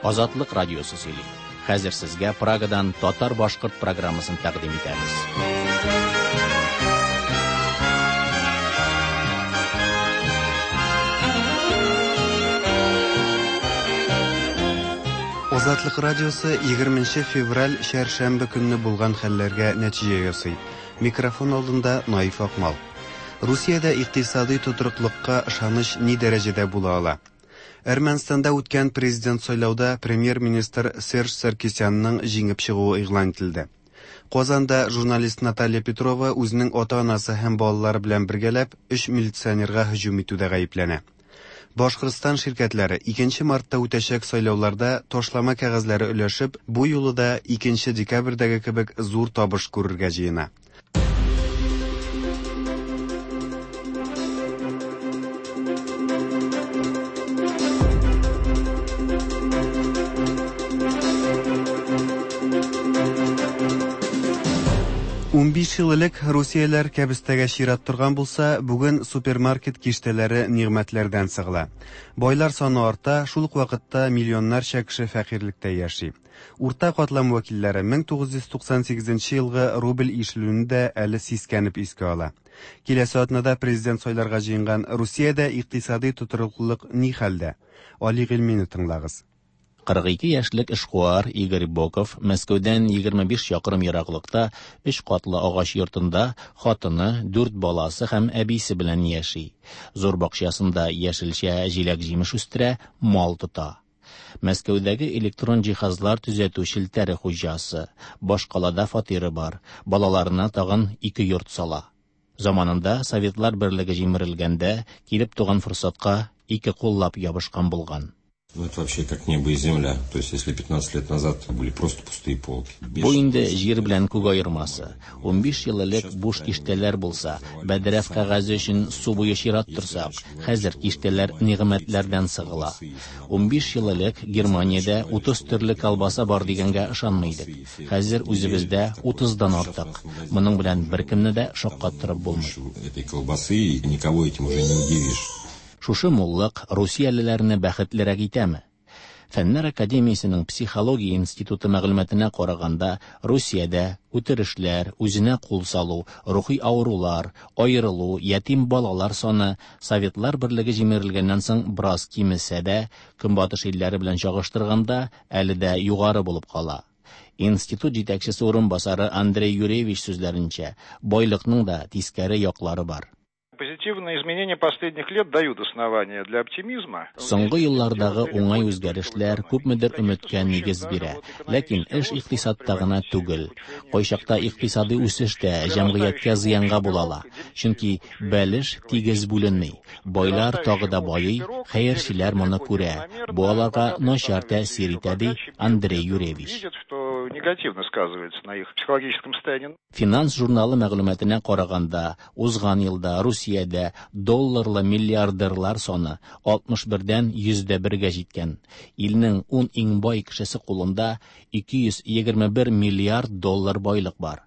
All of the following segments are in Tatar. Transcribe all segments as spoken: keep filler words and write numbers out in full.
Азатлык радиосы сөйли. Хәзер сезгә Прагадан татар-башкорт программасын тәкъдим итәбез. Азатлык радиосы егерменче февраль чәршәмбе көнне булган хәлләргә нәтиҗә ясый. Микрофон алдында Наиф Акмал. Русиядә икътисадый тотрыклыкка ышаныч ни дәрәҗәдә була ала? Әрмәнстанда үткән президент сайлауда премьер-министр Серж Саркисянның җиңеп чыгуы игълан ителде. Казанда журналист Наталья Петрова үзенең ата-анасы һәм балалары белән бергәләп өч милиционерга һөҗүм итүдә гаепләнә. Башкортстан ширкәтләре икенче мартта үтәчәк сайлауларда ташлама кәгазьләре өләшеп, бу юлы да икенче декабрьдәге кебек зур табыш күрергә җыена. Унбиш ел элек Русияләр кәбестәгә чират торган булса, бүген супермаркет киштәләре нигъмәтләрдән сыгыла. Байлар саны арта, шул ук вакытта миллионнарча кеше фәкыйрьлектә яши. Урта катлам вәкилләре мең тугыз йөз туксан сигезенче елгы рубль ишелүне дә әле сискәнеп искә ала. Киләсе атнада президент сайларга җыенган Русиядә икътисадый тотрыклылык ни хәлдә? Али Гыйльмине тыңлагыз. Кырык ике яшьлек эшкуар Игорь Боков Мәскәүдән егерме биш чакрым ераклыкта өч катлы агач йортында хатыны, дүрт баласы һәм әбисе белән яши. Зур бакчасында яшелчә, җиләк-җимеш үстерә, мал тота. Мәскәүдәге электрон җиһазлар төзәтү челтәре хуҗасы, башкалада фатиры бар, балаларына тагын ике йорт сала. Заманында Советлар Берлеге җимерелгәндә килеп туган форсатка ике куллап ябышкан булган. Ну, это вообще как небо и земля. То есть, если пятнадцать лет назад были просто пустые полки. Бу инде җир белән күк аермасы. Унбиш ел элек буш киштәләр булса, бәдрәф кәгазе өчен су буе чират торсак, хәзер киштәләр нигъмәтләрдән сыгыла. Унбиш ел элек Германиядә утыз төрле колбаса бар дигәнгә ышанмый идек. Хәзер үзебездә утыздан артык. Моның белән беркемне дә шаккаттырып булмый. Этой колбасы и никого этим уже не удивишь. Шушы муллык русиялеләрне бәхетлерәк итәме? Фәннәр академиясенең психология институты мәгълүматына караганда, Русиядә үтерешләр, үзенә кул салу, рухи авырулар, аерылу, ятим балалар саны Советлар Берлеге җимерелгәннән соң бераз кимесә дә, Көнбатыш илләре белән чагыштырганда әле дә югары булып кала. Институт җитәкчесе урынбасары Андрей Юрьевич сүзләренчә, байлыкның да тискәре яклары бар. Позитивные изменения последних лет дают основания для оптимизма. Соңгы еллардагы уңай үзгәрешләр күпмедер өметкә нигез бирә. Ләкин эш икътисадта гына түгел. Кайчакта икътисадый үсеш тә җәмгыятькә зыянга була ала. Чөнки бәлеш тигез бүленми. Байлар тагы да байый, хәерчеләр моны күрә. Бу аларга начар тәэсир итә, ди Андрей Юрьевич. Видят, что негативно сказывается на их психологическом состоянии. Финанс журналы мәгълүматына караганда, узган елда Русиядә долларлы миллиардерлар саны алтмыш бердән йөздә бергә җиткән. Илнең ун иң бай кешесе кулында ике йөз егерме бер миллиард доллар байлык бар.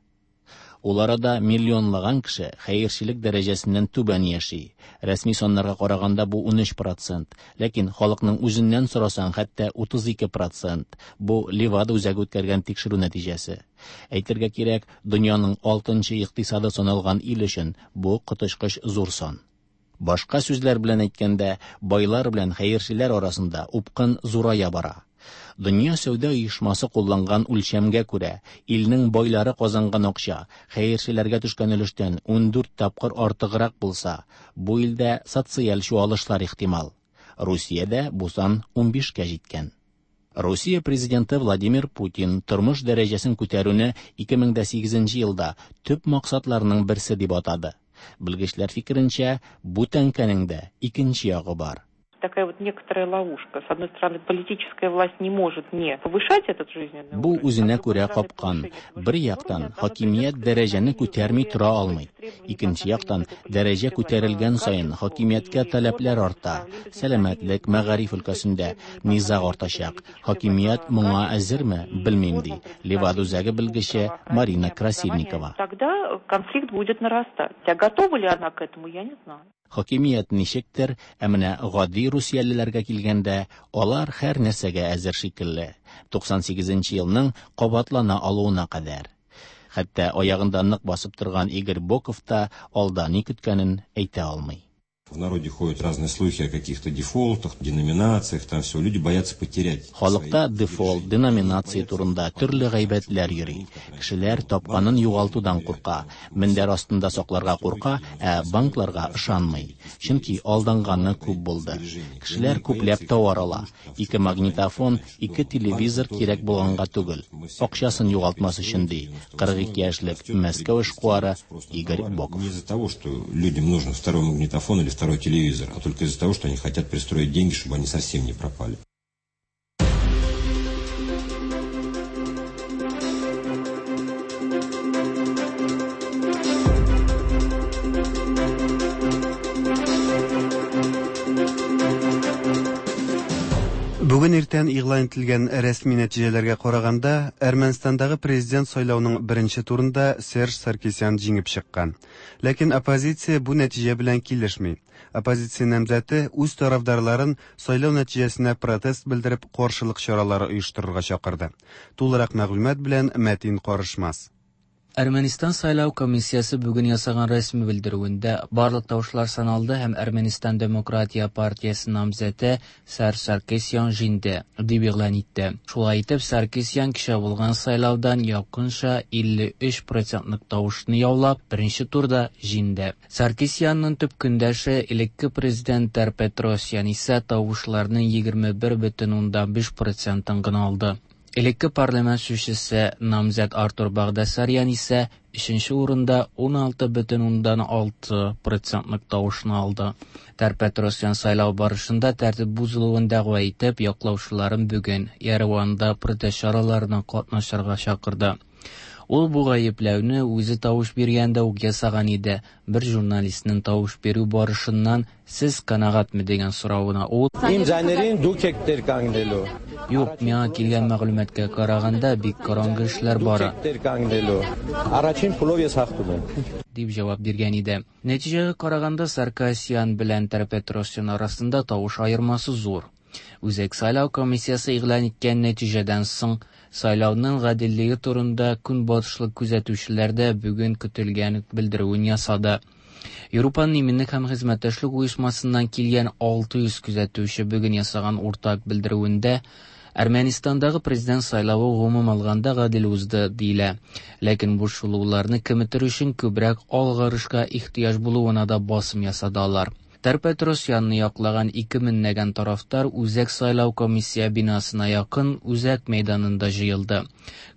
Ул арада миллионлаган кеше хәерчелек дәрәҗәсеннән түбән яши. Рәсми саннарга караганда бу унөч процент, ләкин халыкның үзеннән сорасаң хәтта утыз ике процент. Бу Левада үзәге үткәргән тикшерү нәтиҗәсе. Әйтергә кирәк, дөньяның алтынчы икътисады саналган ил өчен бу коточкыч зур сан. Башка сүзләр белән әйткәндә, байлар белән хәерчеләр арасында упкын зурая бара. Дөнья сәүдә оешмасы кулланган үлчәмгә күрә, илнең байлары казанган акча хәерчеләргә төшкән өлештән ундүрт тапкыр артыграк булса, бу илдә социаль чуалышлар ихтимал. Русиядә бу сан унбишкә җиткән. Русия президенты Владимир Путин тормыш дәрәҗәсен күтәрүне ике мең дә сигезенче елда төп максатларының берсе дип атады. Белгечләр фикеренчә, бу тәңкәнең дә икенче ягы бар. Такая вот некоторая ловушка. С одной стороны, политическая власть не может не повышать этот жизненный Бу уровень, үзенә а с другой күрә стороны, капкан. повышение этого Бер жизненного яктан, уровня, она хакимият придет к дәрәҗәне изменению күтәрми условий тора алмый. требований Икенче по яктан, отношению к дәрәҗә политической күтәрелгән власти, саен качеству хакимияткә и таләпләр формам арта. управления, Сәламәтлек, мәгариф өлкәсендә низаг артачак. Хакимият моңа әзерме, белмим, ди Левада үзәге белгече Марина Красильникова. Тогда конфликт будет нарастать. А готова ли она к этому, я не знаю. Хакимият ничектер, ә менә гади русиялеләргә килгәндә, алар һәр нәрсәгә әзер шикелле. туксан сигезенче елның кабатлана алуына кадәр. Хәтта аягында нык басып торган Игорь Боков та алда ни көткәнен әйтә алмый. В народе ходят разные слухи о каких-то дефолтах, деноминациях, там все. Люди боятся потерять. Халыкта дефолт, деноминация турында төрле гайбәтләр йөри. Кешеләр тапканын югалтудан курка, мендәр астында сакларга курка, ә банкларга ышанмый. Чөнки алданганы күп булды. Кешеләр күпләп товар ала. Ике магнитофон, ике телевизор кирәк булганга түгел. Акчасын югалтмас өчен ди. кырык ике яшьлек Мәскәү эшкуары Игорь Боков. Не из-за того, что людям нужен второй магнитофон или второй телевизор, а только из-за того, что они хотят пристроить деньги, чтобы они совсем не пропали. Бүген иртән игълан ителгән рәсми нәтиҗәләргә караганда, Әрмәнстандагы президент сайлауының беренче турында Серж Саркисян җиңеп чыккан. Ләкин оппозиция бу нәтиҗә белән килешми. Оппозиция намзәте үз тарафдарларын сайлау нәтиҗәсенә протест белдереп каршылык чаралары оештырырга чакырды. Тулырак мәгълүмат белән Мәтин Карышмас. Әрмәнстан сайлау комиссиясе бүген ясаган рәсми белдерүендә барлык тавышлар саналды һәм Әрмәнстан Демократия партиясе намзәте Серж Саркисян җиңде, дип игълан итте. Шулай итеп, Саркисян кичә булган сайлаудан якынча илле өч процентлык тавышны яулап, беренче турда җиңде. Саркисянның төп көндәше элекке президент Тер-Петросян исә тавышларның егерме бер бөтен уннан биш процентын гына алды. Элекке парламент сүзчесе намзәт Артур Багдасарян исә өченче урында ун алты бөтен уннан алты процентлык тавышны алды. Тер-Петросян сайлау барышында тәртип бозылуын дәгъва итеп, яклаучыларын бүген Ереванда протест чараларына катнашырга чакырды. Ул бу гаепләүне үзе тавыш биргәндә үк ясаган иде. Бер журналистның тавыш бирү барышыннан сез канәгатьме дигән соравына ул: Им зайнерин դուք եք տեր կանգնելու. Юк, миңа килгән мәгълүматка караганда бик караңгы эшләр бара. Դուք եք տեր կանգնելու. Առաջին փուլով ես հաղթում եմ. Дип җавап биргән иде. Нәтиҗәгә караганда Саркисян белән Тер-Петросян арасында тавыш аермасы зур. Үзәк сайлау комиссиясе игълан иткән нәтиҗәдән соң сайлауның гаделлеге турында көнбатышлык күзәтүчеләр дә бүген көтелгән белдерүен ясады. Европаның иминлек һәм хезмәттәшлек оешмасыннан килгән алты йөз күзәтүче бүген ясаган уртак белдерүендә Әрмәнстандагы президент сайлавы гомум алганда гадел узды диелә. Ләкин бу шулуларны киметер өчен күбрәк алгарышка ихтыяҗ булуына да басым ясады алар. Тер-Петросянны яклаган ике меңләгән тарафтар Үзәк сайлау комиссия бинасына якын Үзәк мәйданында җыелды.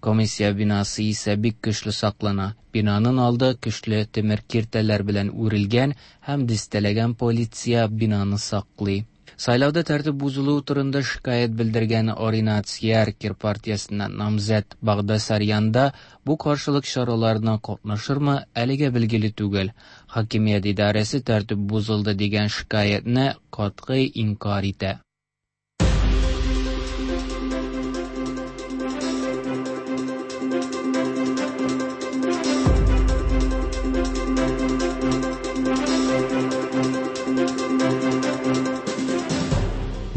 Комиссия бинасы исә бик көчле саклана. Бинаның алды көчле тимер киртәләр белән үрелгән һәм дистәләгән полиция бинаны саклый. Сайлауда тәртип бозылуы турында шикаять белдергән Оринат Яркер партиясеннән намзәт Багдасарян да бу каршылык чараларына катнашырмы, әлегә билгеле түгел. Хакимият идарәсе тәртип бозылды дигән шикаятьне катгый инкар итә.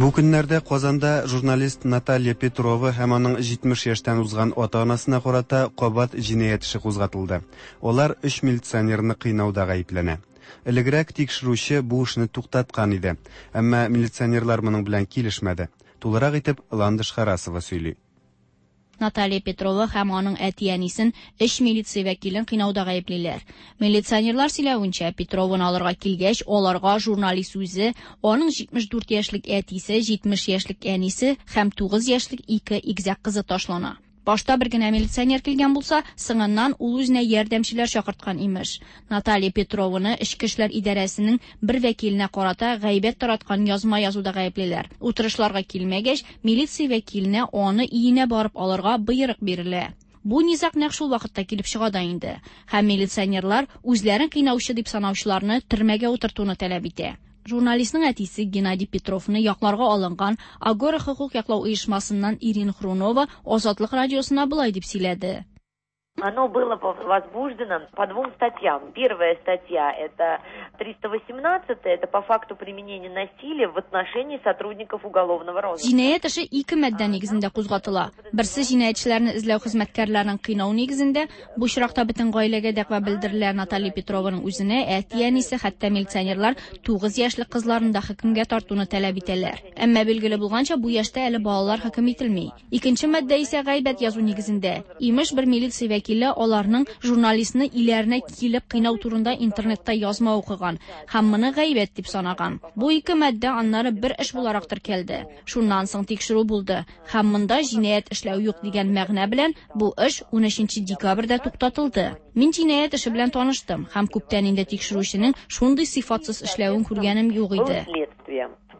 Бу көннәрдә Казанда журналист Наталья Петрова һәм аның җитмеш яшьтән узган ата-анасына карата кабат җинаять эше кузгатылды. Алар өч милиционерны кыйнауда гаепләнә. Элегрәк тикшерүче бу эшне туктаткан иде, әмма милиционерлар моның белән килешмәде. Тулырак итеп Ландыш Харасова сөйли. Наталья Петрова һәм аның әти-әнисен өч милиция вәкилен кыйнауда гаеплиләр. Милиционерлар сөйләвенчә, Петрованы алырга килгәч, аларга журналист үзе, аның җитмеш дүрт яшьлек әтисе, җитмеш яшьлек әнисе һәм тугыз яшьлек ике игезәк кызы ташлана. Башта бер генә милиционер килгән булса, соңыннан ул үзенә ярдәмчеләр чакырткан имеш. Наталья Петрованы Эчке эшләр идарәсенең бер вәкиленә карата гайбәт тараткан язма язуда гаеплиләр. Утырышларга килмәгәч, милиция вәкиленә аны өенә барып алырга боерык бирелә. Бу низаг нәкъ шул вакытта килеп чыга да инде. Һәм милиционерлар үзләрен кыйнаучы дип санаучыларны төрмәгә утыртуны таләп итә. Журналистның әтисе Геннадий Петровны якларга алынган Агора хокук яклау оешмасыннан Ирина Хрунова Азатлык радиосына болай дип сөйләде. Оно было возбуждено по двум статьям. Первая статья – это триста восемнадцатая, это по факту применения насилия в отношении сотрудников уголовного розыска. Җинаять эше ике маддә нигезендә кузгатыла. Берсе җинаятьчеләрне эзләү хезмәткәрләрен кыйнау нигезендә, бу очракта бөтен гаиләгә дәгъва белдерелә. Наталья Петрованың үзенә, әти-әнисе, хәтта милиционерлар тугыз яшьлек кызларын да хөкемгә тартуны таләп итәләр. Әмма билгеле булганча, бу яшьтә әле балалар хөкем ителми. Икенче маддә исә гайбәт язу нигезендә. Имеш, бер милиция вәкиле аларның журналистны иләренә килеп кыйнау турында интернетта язма укыган һәм моны гайбәт дип санаган. Бу ике маддә аннары бер эш буларак теркәлде. Шуннан соң тикшерү булды һәм монда җинаять эшләү юк дигән мәгънә белән бу эш унөченче декабрьдә туктатылды. Мин җинаять эше белән таныштым һәм күптән инде тикшерүченең шундый сыйфатсыз эшләвен күргәнем юк иде.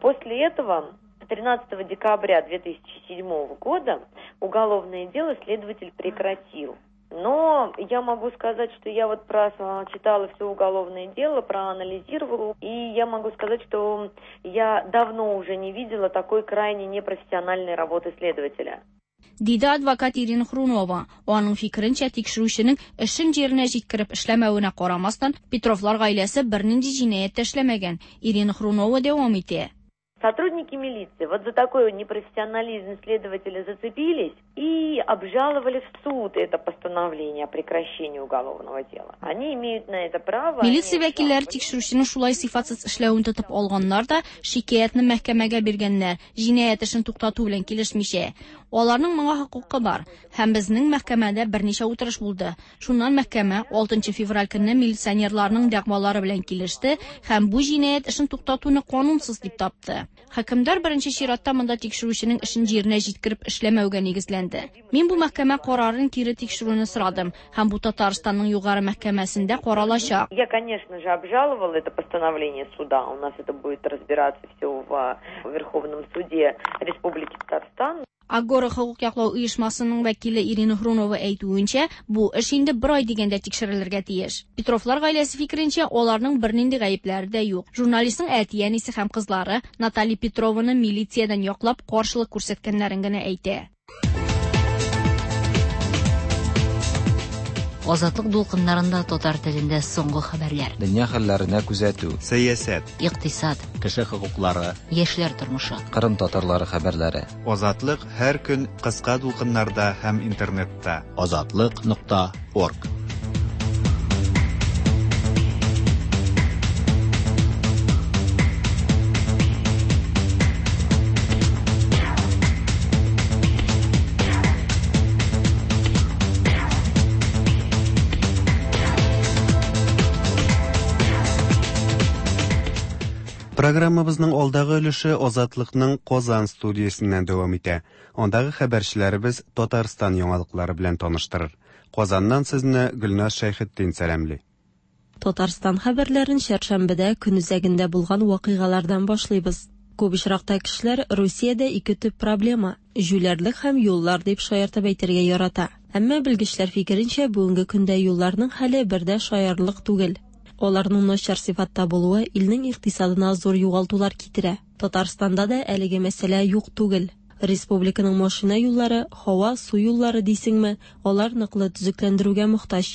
После этого тринадцатого декабря две тысячи седьмого года уголовное дело следователь прекратил. Но я могу сказать, что я вот прочитала все уголовное дело, проанализировала, и я могу сказать, что я давно уже не видела такой крайне непрофессиональной работы следователя. Диде адвокат Ирина Хрунова. Аның фикеренчә, тикшерүченең эшен җиренә җиткереп эшләмәвенә карамастан, Петровлар гаиләсе бернинди җинаять тә эшләмәгән. Ирина Хрунова дәвам итә. Сотрудники милиции вот за такой непрофессионализм следователя зацепились и обжаловали в суд это постановление о прекращении уголовного дела. Они имеют на это право. Милиция вәкилләре тикшерүченең шулай сыйфатсыз эшләвен тотып алганнар да шикаятьне мәхкәмәгә биргәннәр, җинаять эшен туктату белән килешмичә. Аларның моңа хокукы бар. Һәм безнең мәхкәмәдә берничә утырыш булды. Шуннан мәхкәмә алтынчы февраль көнне милиционерларның дәгъвалары белән килеште һәм бу җинаять эшен туктатуны канунсыз дип тапты. Хөкемдар беренче чиратта монда тикшерүченең эшен җиренә җиткереп эшләмәүгә нигезләнде. Мин бу мәхкәмә карарын кире тикшерүне сорадым һәм бу Татарстанның югары мәхкәмәсендә каралачак. Я, конечно же, обжаловала это постановление суда. У нас это будет разбираться все в Верховном суде Республики Татарстан. Агора хокук яклау оешмасының вәкиле Ирина Хрунова әйтүенчә, бу эш инде бер ай дигәндә тикшерелергә тиеш. Петровлар гаиләсе фикеренчә, аларның бернинди гаепләре дә юк. Журналистның әти-әнисе һәм кызлары Наталья Петрованы милициядән яклап каршылык күрсәткәннәрен генә әйтә. Азатлык дулкыннарында татар телендә соңгы хәбәрләр. Дөнья хәлләренә күзәтү, сәясәт, икътисад, кеше хокуклары, яшьләр тормышы, Кырым татарлары хәбәрләре. Азатлык һәр көн кыска дулкыннарда һәм интернетта. Азатлык нокта орг. Программабызның алдагы өлеше Азатлыкның Казан студиясеннән дәвам итә. Андагы хәбәрчеләребез Татарстан яңалыклары белән таныштырыр. Казаннан сезне Гөлназ Шәйхетдин сәламли. Татарстан хәбәрләрен чәршәмбедә көн үзәгендә булган вакыйгалардан башлыйбыз. Күп очракта кешеләр Русиядә ике төп проблема җүләрлек һәм юллар дип шаяртып әйтергә ярата. Әмма белгечләр фикеренчә, бүгенге көндә юлларның хәле бердә шаярлык түгел. Аларның начар сыйфатта булуы илнең икътисадына зур югалтулар китерә. Татарстанда да әлеге мәсьәлә юк түгел. Республиканың машина юллары, һава, су юллары дисеңме, алар ныклы төзекләндерүгә мохтаҗ.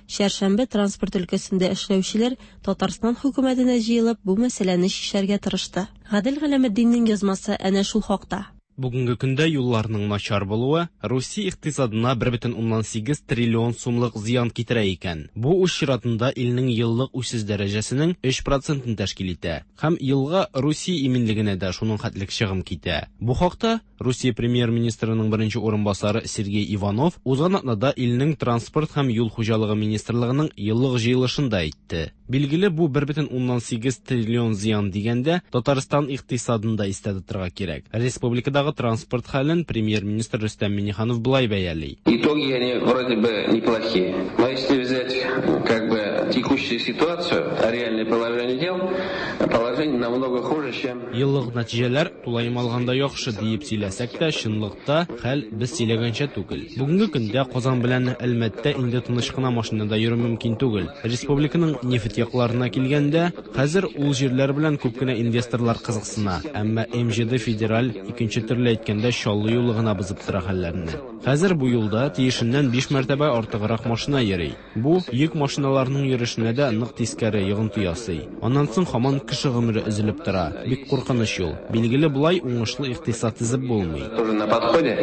Чәршәмбе транспорт өлкәсендә эшләүчеләр Татарстан хөкүмәтенә җыелып бу мәсьәләне чишәргә тырышты. Гадел Галәметдиннең язмасы әнә шул хакта. Бүгенге көндә юлларның начар булуы Русия икътисадына бер бөтен уннан сигез триллион сумлык зыян китерә икән. Бу үз чиратында илнең еллык үсеш дәрәҗәсенең өч процентын тәшкил итә. Һәм елга Русия иминлегенә дә шуның хәтлек чыгым китә. Бу хакта Русия премьер-министрының беренче урынбасары Сергей Иванов узган атнада илнең транспорт һәм юл хуҗалыгы министрлыгының еллык җыелышында әйтте. Билгеле, бу бер бөтен уннан сигез триллион зыян дигәндә Татарстан икътисадын да истә тотарга кирәк. Республикадагы транспорт хәлен премьер-министр Рөстәм Минниханов былай бәяли. Итоги они вроде бы неплохие, но если взять как бы Учитывая текущую ситуацию, реальное положение дел, положение намного хуже, чем... Еллык нәтиҗәләр тулаем алганда яхшы диеп сөйләсәк тә, чынлыкта хәл без сөйләгәнчә түгел. Бүгенге көндә Казан белән Әлмәттә инде тыныч кына машинада йөрү мөмкин түгел. Республиканың нефть якларына килгәндә, хәзер ул җирләр белән күп кенә инвесторлар кызыксына. Әмма эм жэ дэ федераль, икенче төрле әйткәндә, Чаллы юлы гына бозып тора хәлләрне. Хәзер бу юлда тиешеннән биш мәртәбә артыграк машина йөри. Бу йөк машиналарының йөрешенә дә нык тискәре йогынты ясый. Аннан соң һаман кеше гомере өзелеп тора. Бик куркыныч юл. Билгеле, болай уңышлы икътисад төзеп булмый. Тоже на подходе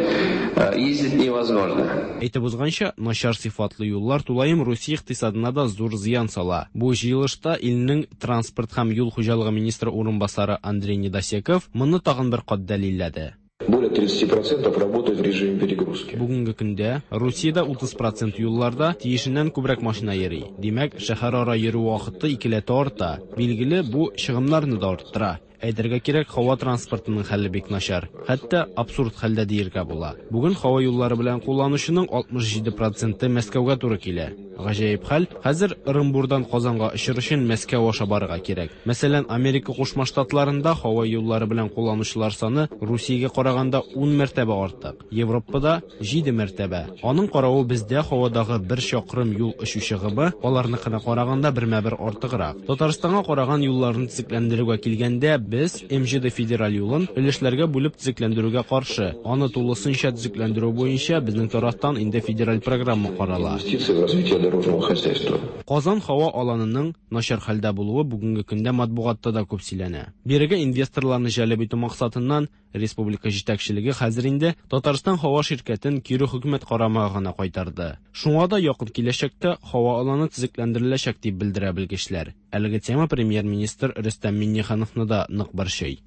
ездить невозможно. Әйтеп узганча, начар сыйфатлы юллар тулаем Русия икътисадына да зур зыян сала. Бу җыелышта илнең транспорт һәм юл хуҗалыгы министры урынбасары Андрей Недосеков моны тагын бер кат дәлилләде. Более тридцати процентов работают в режиме перегрузки. Бүгенге көндә Русиядә утыз процент юлларда тиешеннән күбрәк машина йөри. Димәк, шәһәрара йөрү вакыты икеләтә арта. Билгеле, бу чыгымнарны да арттыра. Әйтергә кирәк, һава транспортының хәле бик начар. Хәтта абсурд хәлдә диергә була. Бүген һава юллары белән кулланучының алтмыш җиде проценты Мәскәүгә туры килә. Гаҗәеп хәл, хәзер Ырынбурдан Казанга очыр өчен Мәскәү аша барырга кирәк. Мәсәлән, Америка Кушма Штатларында һава юллары белән кулланучылар саны Русиягә караганда ун мәртәбә артык. Европада җиде мәртәбә. Аның каравы бездә һавадагы бер чакрым юл очу чыгымы аларныкына караганда бермә-бер артыграк. Татарстанга караган юлларны төзекләндерүгә килгәндә, без эм жэ дэ федераль юлын өлешләргә бүлеп төзекләндерүгә каршы. Аны тулысынча төзекләндерү буенча безнең тарафтан инде федераль программа карала. Инвестиции в развитие дорожного хозяйства. Казан һава аланының начар хәлдә булуы бүгенге көндә матбугатта да күп сөйләнә. Бирегә инвесторларны җәлеп итү максатыннан республика җитәкчелеге хәзер инде Татарстан һава ширкәтен кире хөкүмәт карамагына кайтарды. Шуңа да якын киләчәктә һава аланы төзекләндереләчәк дип белдерә белгечләр. Әлеге тема премьер-министр Рөстәм Миңнехановны да нык борчый.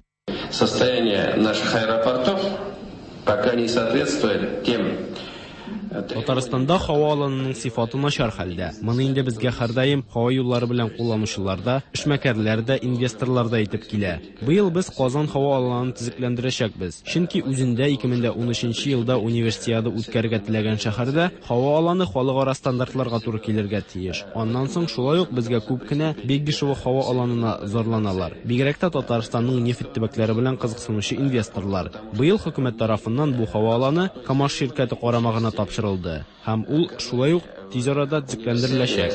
Состояние наших аэропортов пока не соответствует тем Татарстанда һава аланының сыйфаты начар хәлдә. Моны инде безгә һәрдаим һава юллары белән кулланучылар да, эшмәкәрләр дә, инвесторлар да әйтеп килә. Быел без Казан һава аланын төзекләндерәчәкбез. Чөнки үзендә ике мең дә унөченче елда универсиада үткәрергә теләгән шәһәрдә һава аланы халыкара стандартларга туры килергә тиеш. Аннан соң шулай ук безгә күп кенә Бегишево һава аланына зарланалар. Бигрәк тә Татарстанның нефть төбәкләре белән кызыксынучы инвесторлар. Быел хөкүмәт тарафыннан бу һава аланы КАМАЗ ширкәте карамагына тапшырылды. Һәм ул шулай ук тиз арада төзекләндереләчәк.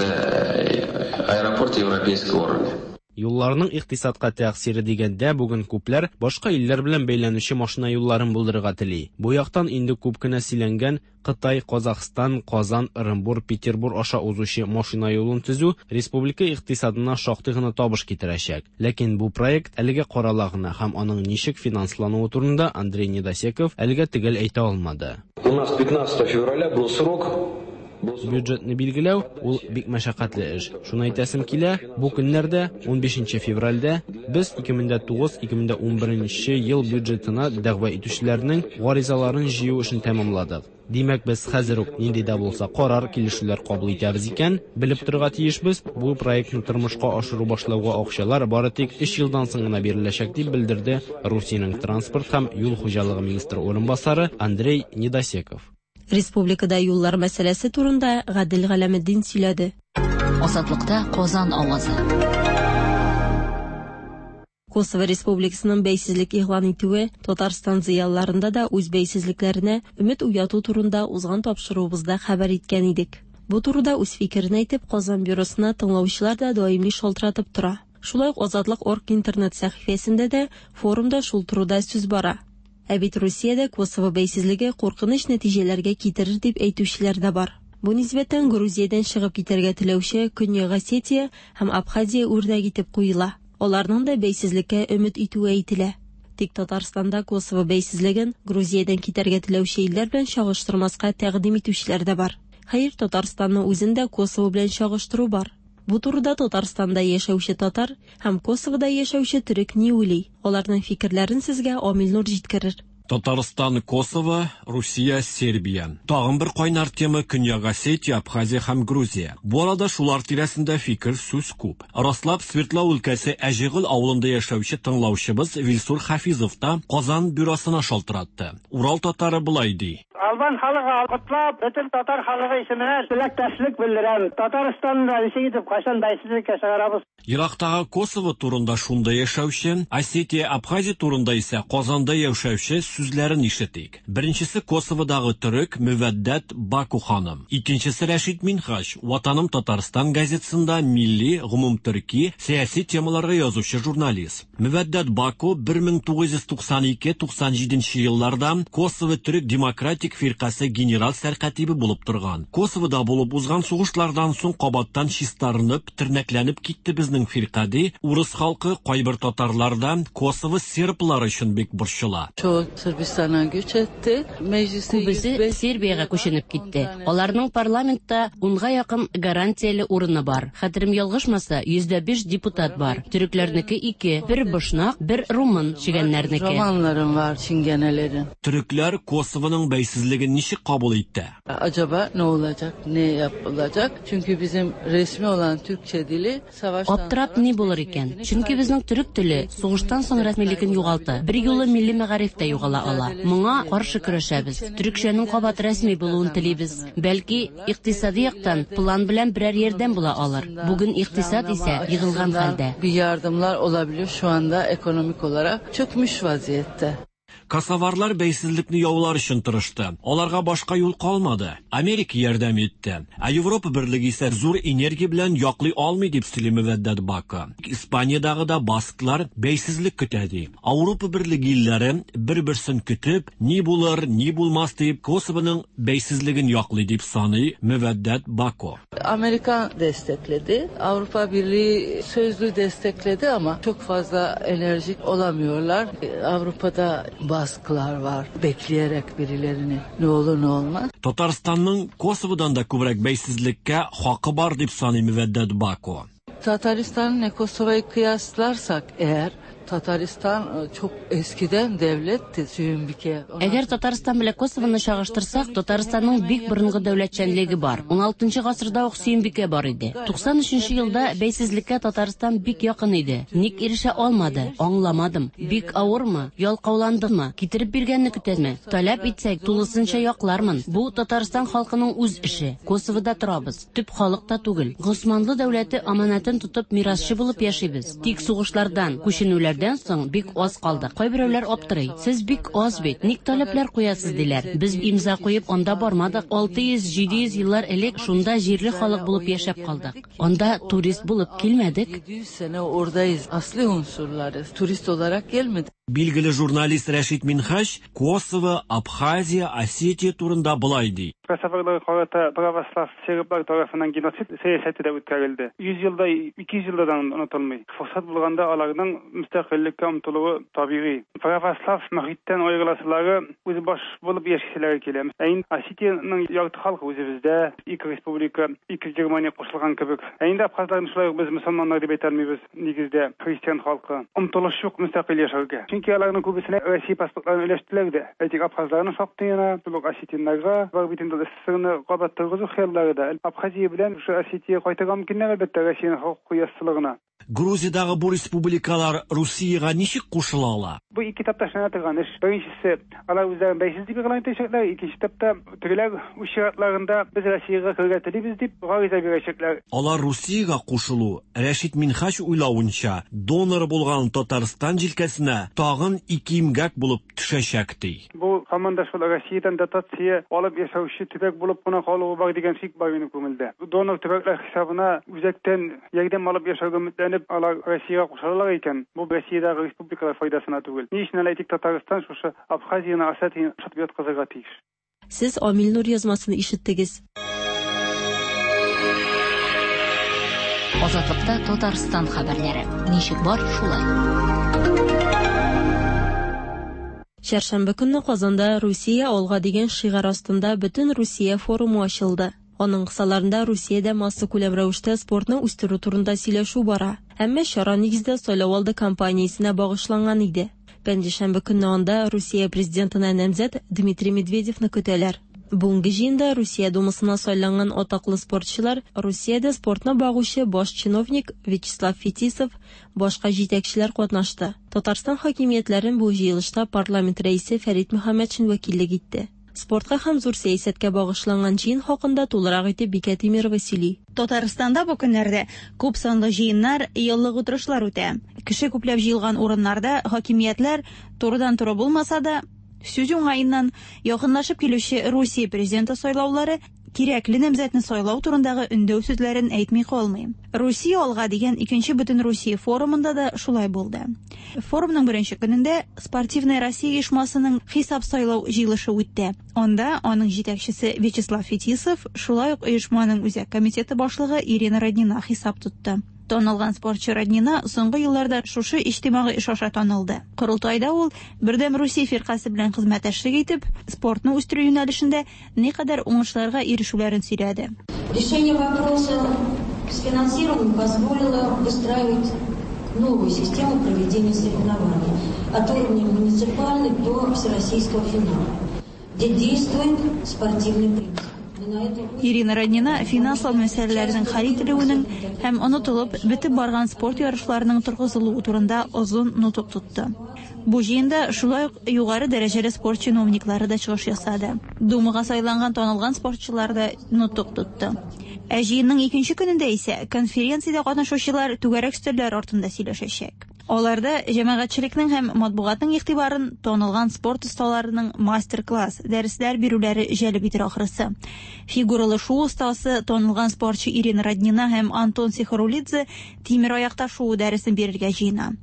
Аэропорт европейского уровня. Юлларның икътисадка тәэсире дигәндә бүген күпләр башка илләр белән бәйләнүче машина юлларын булдырырга тели. Бу яктан инде күп кенә сөйләнгән Кытай, Казахстан, Казан, Ырынбур, Петербур аша узучы машина юлын төзү республика икътисадына шактый гына табыш китерәчәк. Ләкин бу проект әлегә карала гына һәм аның ничек финанслануы турында Андрей Недосеков әлегә төгәл әйтә алмады. У нас пятнадцатого февраля был срок. Бюджетны билгеләү ул бик мәшәкатьле эш. Шуны әйтәсем килә, бу көннәрдә унбишенче февральдә без ике мең дә тугыз, ике мең дә унберенче ел бюджетына дәгъва итүчеләрнең гаризаларын җыю эшен тәмамладык. Димәк, без хәзер үк нинди дә булса карар, килешүләр кабул итәбез икән, белеп торырга тиешбез, бу проектны тормышка ашыру башлауга акчалар бары тик өч елдан соң гына биреләчәк дип белдерде Русиянең транспорт һәм юл хуҗалыгы министры урынбасары Андрей Недосеков. Республикада юллар мәсьәләсе турында Гадел Галәметдин сөйләде. Азатлыкта Казан авазы. Косово Республикасының бәйсезлек игълан итүе Татарстан зыялыларында да үз бәйсезлекләренә өмет уяту турында узган тапшыруыбызда хәбәр иткән идек. Бу турыда үз фикерен әйтеп, Казан бюросына тыңлаучылар да даими шалтыратып тора. Шулай ук Азатлык орг интернет сәхифәсендә дә форумда шул турыда сүз бара. Ә бит Русиядә Косово бәйсезлеге куркыныч нәтиҗәләргә китерер дип әйтүчеләр дә бар. Бу нисбәттән Грузиядән чыгып китәргә теләүче Көньяк Осетия һәм Абхазия үрнәк итеп куела. Аларның да бәйсезлеккә өмет итүе әйтелә. Тик Татарстанда Косово бәйсезлеген Грузиядән китәргә теләүче илләр белән чагыштырмаска тәкъдим итүчеләр дә бар. Хәер, Татарстанны үзен дә Косово белән чагыштыру бар. Бу турыда Татарстанда яшәүче татар һәм Косовода яшәүче төрек ни уйлый? Аларның фикерләрен сезгә Амил Нур җиткерер. Татарстан, Косово, Русия, Сербия. Тагын бер кайнар тема Көньяк Осетия, Абхазия һәм Грузия. Бу арада шулар тирәсендә фикер сүз күп. Раслап Свердлау өлкәсе Әҗегөл авылында яшәүче тыңлаучыбыз Вилсур Хафизов та Казан бюросына шалтыратты. Урал татары болай ди. Албан халкы котлап, бөтен татар халкы исеменнән теләктәшлек белдерәм. Татарстанны ничек итеп кайчан бәйсезлеккә чыгарабыз? Ерактагы Косово турында шунда яшәүче, Осетия, Абхазия турында исә Казанда яшәүче сүзләрен ишетик. Беренчесе Косоводагы төрек Мөвәддәт Баку ханым. Икенчесе Рәшит Минһаҗ, Ватаным Татарстан газетасында милли, гомумтөрки, сәяси темаларга язучы журналист. Мөвәддәт Баку бер мең тугыз йөз туксан ике туксан җиденче елларда Косово Төрек Демократик фиркасе генерал сәркатибе булып торган. Косовода булып узган сугышлардан соң кабаттан чистарынып, тернәкләнеп китте безнең фирка ди. Урыс халкы кайбер татарларда Косово серблар өчен бик борчыла. Çoğu Sırbistan'a göç etti. Mecliste Күбесе Сербиягә күченеп китте. Аларның парламентта унга якын гарантияле урыны бар. Хәтерем ялгышмаса, йөздә биш депутат бар. Төрекләрнеке ике, бер бошнак, бер румын чигәннәрнеке. Romanlarım var çingenelerin. Төрекләр Косовоның бәйсезлеген ничек кабул итте? Acaba ne olacak, ne yapılacak? Çünkü bizim resmi olan Türkçe dili savaştan Аптырап ни булыр икән? Чөнки безнең төрек теле сугыштан соң рәсмилеген югалты. Бер юлы милли мәгариф тә югала ала. Моңа каршы көрәшәбез. Төрекчәнең кабат рәсми булуын телибез. Бәлки икътисади яктан план белән берәр ярдәм була алыр. Бүген икътисад исә егылган хәлдә. Bir yardımlar olabilir, şu anda ekonomik olarak çökmüş vaziyette. Косоварлар бәйсезлекне яулар өчен тырышты. Аларга башка юл калмады. Америка ярдәм итте. Ә Европа берлеге исә зур энергия белән яклый алмый дип сөйли Мөвәддәт Баку. Испаниядагы да басклар бәйсезлек көтә ди. Европа берлеге илләре бер-берсен көтеп, ни булыр, ни булмас дип Косовоның бәйсезлеген яклый дип саный Мөвәддәт Баку. Amerika destekledi. Avrupa Birliği sözlü destekledi ama çok fazla enerjik olamıyorlar. Avrupa'da baskılar var. Bekleyerek birilerini ne olur ne olmaz. Татарстанның Косоводан да күбрәк бәйсезлеккә хакы бар дип саный Мөвәддәт Баку. Tataristan'la Kosova'yı kıyaslarsak eğer, Tataristan çok eskiden devletti, Süyümbike. Әгәр Татарстан белән Косовоны чагыштырсак, Татарстанның бик борынгы дәүләтчәнлеге бар. ун алтынчы гасырда ук Сөембикә бар иде. Туксан өченче елда бәйсезлеккә Татарстан бик якын иде. Ник ирешә алмады? Аңламадым. Бик авырмы? Ялкауландымы? Китереп биргәнне көтәме? Таләп итсәк, тулысынча яклармын. Бу Татарстан халкының үз эше. Косовода торабыз. Төп халык та түгел. Госманлы дәүләте аманатын тотып мирасчы булып яшибез. Тик сугышлардан, күченүләрдән соң бик аз калдык. Кайберәүләр аптырый. Сез бик аз бит. Ник таләпләр куясыз диләр. Без имза куеп анда бармадык. Алты йөз, җиде йөз еллар элек шунда җирле халык булып яшәп калдык. Анда турист булып килмәдек. Yedi yüz sene oradayız. Asli unsurlarız. Turist olarak gelmedik. Билгеле журналист Рәшит Минһаҗ Косово, Абхазия, Осетия турында былай ди. Косоволар карата православ серблар тарафыннан геноцид сәясәте дә үткәрелде. Йөз елда, ике йөз елдан онытылмый. Форсат булганда аларның мөстәкыйльлеккә омтылуы табигый. Православ мөхиттән аерыласылары үз баш булып яшиселәре килә. Ә инде Осетияның ярты халкы үзебездә, ике республика, ике Германия кушылган кебек. Ә инде абхазларны шулай ук без мөселманнар дип әйтә алмыйбыз, нигездә христиан халкы. Омтылыш юк мөстәкыйль яшәргә. Чөнки аларның күбесенә Россия паспортларын өләштеләр дә. Әйтик, абхазларның шактый гына, шул ук осетиннарга бар бит инде СССРны кабат торгызу хыяллары да. Абхазия белән шушы Осетия кайтырга мөмкиннәр, әлбәттә, Россиянең хокукый яссылыгына. Грузиядагы бу республикалар Русиягә ничек кушыла ала? Бу ике этапта эшләнә торган эш. Беренчесе, алар үзләрен бәйсез дип игълан итәчәкләр. Икенче этапта тегеләр үз чиратларында без Россиягә керергә телибез дип гариза бирәчәкләр. Алар Русиягә кушылу, Рәшит Минһаҗ уйлавынча, донор булган Татарстан җилкәсенә тагын ике имгәк булып төшәчәк ди. Бу һаман да шул Россиядән дотация алып яшәүче төбәк булып кына калуы бар дигән шик бар минем күңелдә. Донор төбәкләр хисабына үзәктән ярдәм алып яшәүгә өметләнеп алар Россиягә кушылалар икән, бу Россиядәге республикалар файдасына түгел. Ни өчен әле әйтик, Татарстан шушы Абхазияны, Осетияны шатып яткызырга тиеш. Сез Амил Нур язмасын ишеттегез. Азатлыкта Татарстан хәбәрләре. Ничек бар, шулай. Чәршәмбе көнне Казанда Русия алга дигән шигарь астында Бөтен Русия форумы ачылды. Аның кысаларында Русиядә массакүләм рәвештә спортны үстерү турында сөйләшү бара. Әмма чара нигездә сайлау алды кампаниясенә багышланган иде. Пәнҗешәмбе көнне анда Русия президентына намзәт Дмитрий Медведевны көтәләр. Бүгенге җыенда Русия Думасына сайланган атаклы спортчылар, Русиядә спортны багучы баш чиновник Вячеслав Фетисов, башка җитәкчеләр катнашты. Татарстан хакимиятләрен бу җыелышта парламент рәисе Фәрит Мөхәммәтшин вәкиллек итте. Спортка һәм зур сәясәткә багышланган җыен хакында тулырак итеп Бикә Тимирова сөйли. Татарстанда бу көннәрдә күп санлы җыеннар, еллык утырышлар үтә. Кеше күпләп җыелган урыннарда хакимиятләр турыдан-туры булмаса да, сүз уңаеннан якынлашып килүче Русия президенты сайлаулары кирәкле намзәтне сайлау турындагы өндәү сүзләрен әйтми калмый. Русия алга дигән икенче бөтен Русия форумында да шулай булды. Форумның беренче көнендә Спортивная Россия оешмасының хисап сайлау җыелышы үтте. Анда аның җитәкчесе Вячеслав Фетисов, шулай ук оешманың үзәк комитеты башлыгы Ирина Роднина хисап тотты. Танылган спортчы Роднина соңгы елларда шушы иҗтимагый эш аша танылды. Корылтайда ул Бердәм Русия фиркасе белән хезмәттәшлек итеп, спортны үстерү юнәлешендә никадәр уңышларга ирешүләрен сөйләде. Решение вопроса с финансированием позволило выстраивать новую систему проведения соревнований от уровня муниципальных до всероссийского финала, где действует спортивный принцип. Ирина Роднина финанслау мәсьәләләренең хәл ителүенең һәм онытылып бетеп барган спорт ярышларының торгызылуы турында озын нотык тотты. Бу җыенда шулай ук югары дәрәҗәле спорт чиновниклары да чыгыш ясады. Думага сайланган танылган спортчылар да нотык тотты. Ә җыенның икенче көнендә исә конференциядә катнашучылар түгәрәк өстәлләр артында сөйләшәчәк. Аларда җәмәгатьчелекнең һәм матбугатның игътибарын танылган спорт осталарының мастер-класс, дәресләр бирүләре җәлеп итер ахрысы. Фигуралы шуу остасы танылган спортчы Ирина Роднина һәм Антон Сихарулидзе тимер аякта шуу дәресен бирергә җыена.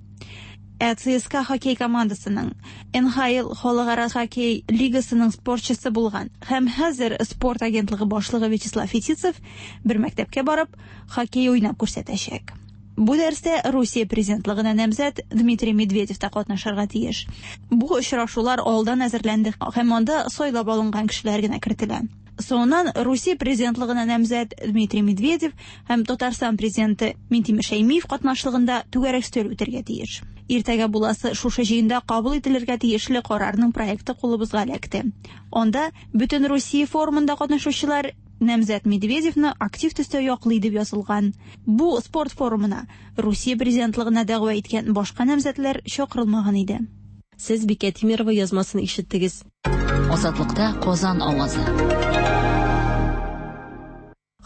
Ә ЦСКА хоккей командасының Н Х Л халыкара хоккей лигасының спортчысы булган һәм хәзер спорт агентлыгы башлыгы Вячеслав Фетисов бер мәктәпкә барып хоккей уйнап күрсәтәчәк. Бу дәрестә Русия президентлыгына намзәт Дмитрий Медведев та катнашырга тиеш. Бу очрашулар алдан әзерләнде һәм анда сайлап алынган кешеләр генә кертелә. Соңыннан Русия президентлыгына намзәт Дмитрий Медведев һәм Татарстан президенты Минтимер Шәймиев катнашлыгында түгәрәк өстәл үтәргә тиеш. Иртәгә буласы шушы җыенда кабул ителергә тиешле карарның проекты кулыбызга эләкте. Анда бөтен Русия форумында катнашучылар намзәт Медведевны актив төстә яклый дип язылган. Бу спорт форумына Русия президентлыгына дәгъва иткән башка намзәтләр чакырылмаган иде. Сез Бикә Тимирова язмасын ишеттегез. Азатлыкта Казан авазы.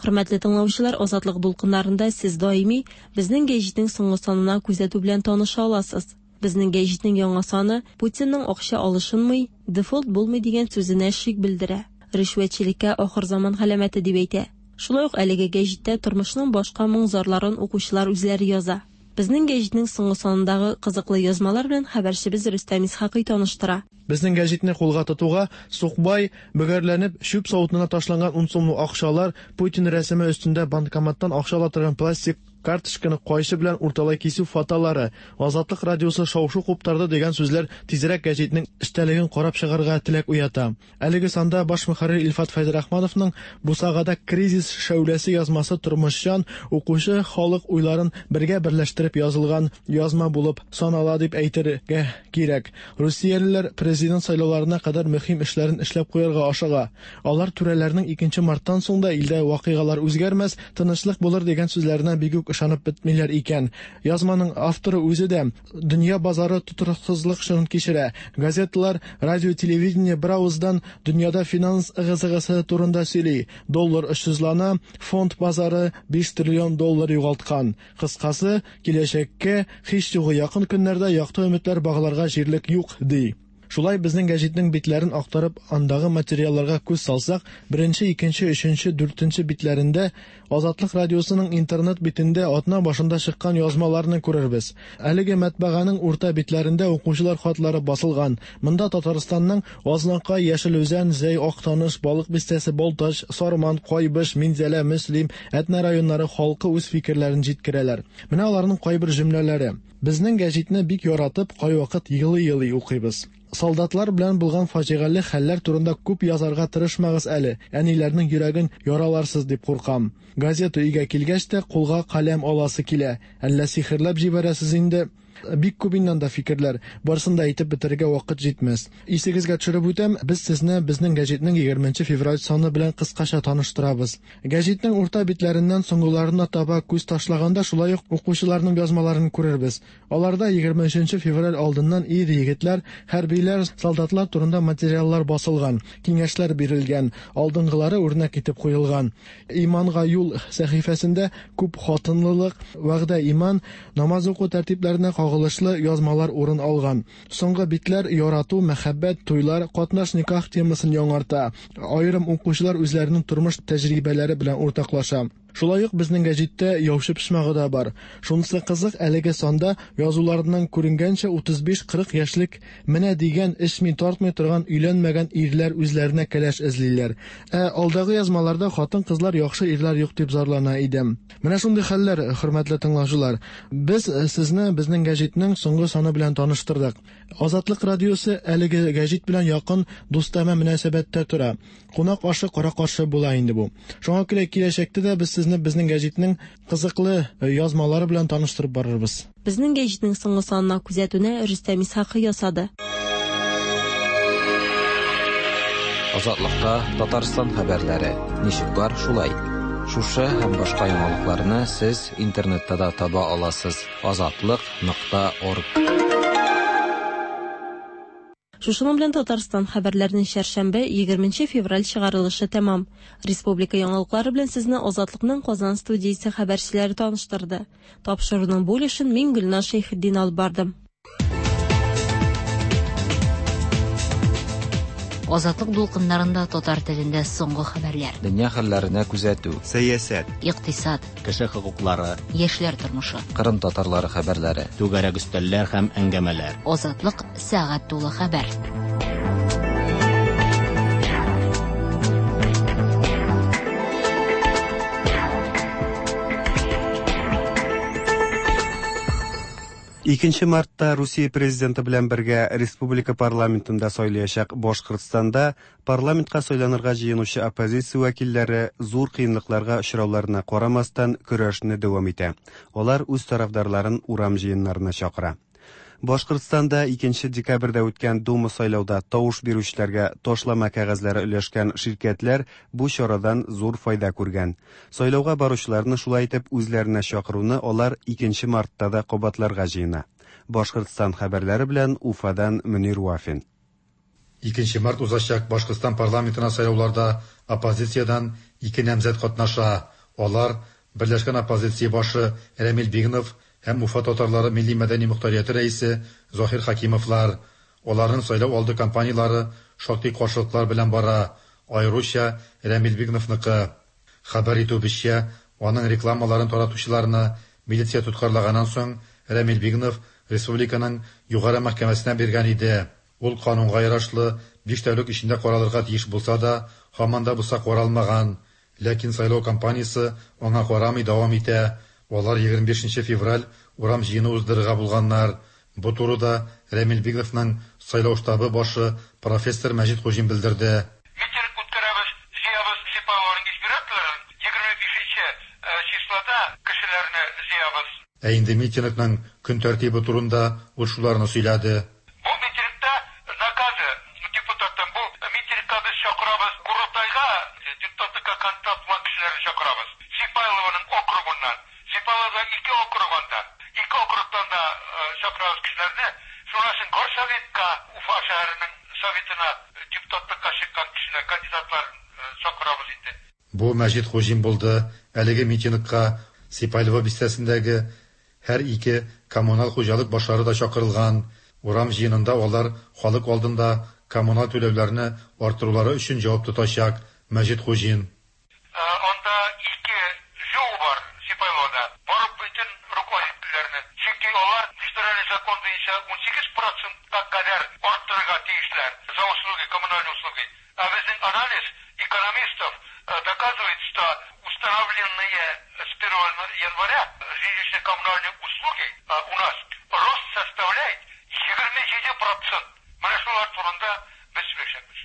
Хөрмәтле тыңлаучылар, Азатлык дулкыннарында сез даими безнең гәҗитнең соңгы санына күзәтү белән таныша аласыз. Безнең гәҗитнең яңа саны Путинның акча алышынмый, дефолт булмый дигән сүзенә шик белдерә. Ришвәтчелеккә ахыр заман галәмәте дип әйтә. Шулай ук әлеге гәҗиттә тормышның башка моң-зарларын укучылар үзләре яза. Безнең гәҗитнең соңгы санындагы кызыклы язмалар белән хәбәрчебез Рөстәм Исхакый таныштыра. Безнең гәҗитне кулга тотуга сукбай бөгәрләнеп чүп савытына ташланган ун сумлык акчалар, Путин рәсеме өстендә банкоматтан акча ала торган пластик карточканы кайчы белән урталай кисү фотолары, Азатлык радиосы шау-шу куптарды дигән сүзләр тизрәк гәҗитнең эчтәлеген карап чыгарга теләк уята. Әлеге санда баш мөхәррир Илфат Фәйзрахмановның Бусагада кризис шәүләсе язмасы тормышчан укучы халык уйларын бергә берләштереп язылган язма булып санала дип әйтергә кирәк. Русиялеләр президент сайлауларына кадәр мөһим эшләрен эшләп куярга ашыга. Алар түрәләрнең икенче марттан соң да илдә вакыйгалар үзгәрмәс, тынычлык булыр дигән сүзләренә бик үк ышанып бетмиләр икән. Язманың авторы үзе дә дөнья базары тотрыксызлык чорын кичерә. Газеталар, радио, телевидение бер авыздан дөньяда финанс ыгы-зыгысы турында сөйли. Доллар очсызлана, фонд базары биш триллион доллар югалткан. Кыскасы, киләчәккә һич югы якын көннәрдә якты өметләр багларга җирлек юк, ди. Шулай безнең гәҗитнең битләрен актарып, андагы материалларга күз салсак, беренче, икенче, өченче, дүртенче битләрендә Азатлык радиосының интернет битендә атна башында чыккан язмаларны күрербез. Әлеге матбаганың урта битләрендә укучылар хатлары басылган. Монда Татарстанның Азнакай, Яшел Үзән, Зәй, Актаныш, Балык Бистәсе, Балтач, Сарман, Кайбыш, Минзәлә, Мөслим, Әтнә районнары халкы үз фикерләрен җиткерәләр. Менә аларның кайбер җөмләләре. Безнең гәҗитне бик яратып, кайвакыт елый-елый укыйбыз. Солдатлар белән булган фаҗигале хәлләр турында күп язарга тырышмагыз әле. Әниләрнең йөрәген яраларсыз дип куркам. Газета өйгә килгәч тә кулга каләм аласы килә. Әллә сихерләп җибәрәсез инде. Бик күп инде анда фикерләр, барысын да әйтеп бетерергә вакыт җитмәс. Исегезгә төшереп үтәм, без сезне безнең гәҗитнең егерменче февраль саны белән кыскача таныштырабыз. Гәҗитнең урта битләреннән соңгыларына таба күз ташлаганда шулай ук укучыларның язмаларын күрербез. Аларда егерме өченче февраль алдыннан ир егетләр, хәрбиләр, солдатлар турында материаллар басылган, киңәшләр бирелгән, алдынгылары үрнәк итеп куелган. Иманга юл сәхифәсендә күп хатынлылык, вәгъдә иман, намаз уку тәртипләренә кагылышлы язмалар урын алган. Соңгы битләр ярату, мәхәббәт, туйлар, катнаш никах темасын яңарта. Аерым укучылар үзләренең тормыш тәҗрибәләре белән уртаклаша. Шулай ук безнең гәҗиттә яучы почмагы да бар. Шунысы кызык, әлеге санда язуларыннан күренгәнчә утыз биш-кырык яшьлек менә дигән эчми тартмый торган өйләнмәгән ирләр үзләренә кәләш эзлиләр. Ә алдагы язмаларда хатын-кызлар яхшы ирләр юк дип зарлана иде. Менә шундый хәлләр, хөрмәтле тыңлаучылар. Без сезне безнең гәҗитнең соңгы саны белән таныштырдык. Азатлык радиосы әлеге гәҗит белән якын дустанә мөнәсәбәттә тора. Кунак ашы кара-каршы була инде бу. Шуңа күрә киләчәктә дә без сезне безнең гәҗитнең кызыклы язмалары белән таныштырып барырбыз. Безнең гәҗитнең соңгы санына күзәтүне Рөстәм Исхакый ясады. Азатлыкта Татарстан хәбәрләре ничек бар шулай. Шушы һәм башка яңалыкларны сез интернетта да таба аласыз. Азатлык нокта орг. Шушының белән Татарстан хәбәрләренең чәршәмбе егерменче февраль чыгарылышы тәмам. Республика яңалыклары белән сезне Азатлыкның Казан студиясе хәбәрчеләре таныштырды. Тапшыруның бу өлешен мин Гөлназ Шәйхетдин алып бардым. Азатлык дулкыннарында татар телендә соңгы хәбәрләр. Дөнья хәлләренә күзәтү, сәясәт, икътисад, кеше хокуклары, яшьләр тормышы, Кырым татарлары хәбәрләре, түгәрәк өстәлләр һәм әңгәмәләр. Азатлык сәгать тулы хәбәр. Икенче мартта Русия президенты белән бергә республика парламентында сайлаячак Башкортстанда парламентка сайланырга җыенучы оппозиция вәкилләре зур кыенлыкларга очрауларына карамастан көрәшне дәвам итә. Алар үз тарафдарларын урам җыеннарына чакыра. Башкортстанда икенче декабрьдә үткән Дума сайлауда тавыш бирүчеләргә ташлама кәгазьләре өләшкән ширкәтләр бу чарадан зур файда күргән. Сайлауга баручыларны шулай итеп үзләренә чакыруны алар икенче мартта да кабатларга җыена. Башкортстан хәбәрләре белән Уфадан Мөнир Вафин. Икенче март узачак Башкортстан парламентына сайлауларда оппозициядән ике намзәт катнаша. Алар Берләшкән оппозиция башы Рәмил Бигнов һәм Уфа татарлары милли мәдәни мохтарияте рәисе Заһир Хакимовлар. Аларның сайлау алды кампаниялары шактый каршылыклар белән бара, аеруча Рәмил Бигновныкы. Хәбәр итүебезчә, аның рекламаларын таратучыларны милиция тоткарлаганнан соң Рәмил Бигнов республиканың югары мәхкәмәсенә биргән иде. Ул канунга ярашлы биш тәүлек эчендә каралырга тиеш булса да, һаман да булса каралмаган. Ләкин сайлау кампаниясе аңа карамый дәвам итә. Алар егерме бишенче февраль урам җыены уздырырга булганнар. Бу турыда Рәмил Бигновның сайлау штабы башы профессор Мәҗит Хуҗин белдерде. Митинг үткәрәбез, җыябыз Сипайлованың избирательләрен, егерме бишенче числода кешеләрне җыябыз. Ә инде митингның көн тәртибе турында ул шуларны сөйләде. Бу митингта наказы депутаттан, бу митингка без чакырабыз Курултайга депутатлыкка кандидат булган кешеләрне чакырабыз. Сипайлованың округыннан. Сипайловада ике округ анда. Ике округтан да чакырабыз кешеләрне. Шуннан соң Горсоветка, Уфа шәһәренең советына депутатлыкка чыккан кешеләр, кандидатлар чакырабыз инде. Бу Мәҗит Хуҗин булды. Әлеге митингка Сипайлово бистәсендәге һәр ике коммуналь хуҗалык башлары да чакырылган. Урам җыенында алар халык алдында коммуналь түләүләрне арттырулары өчен җавап тотачак. Мәҗит Хуҗин. Анда ике жол бар Сипайловада. Барып бөтен руководительләрне. Чөнки алар федераль закон буенча унсигез процентка кадәр арттырырга тиешләр за услуги, коммунальные услуги. А безнең анализ экономистов доказывает, что установленные с первого января жилищно-коммунальные услуги у нас рост составляет егерме җиде процент. Менә шулар турында без сөйләшәбез.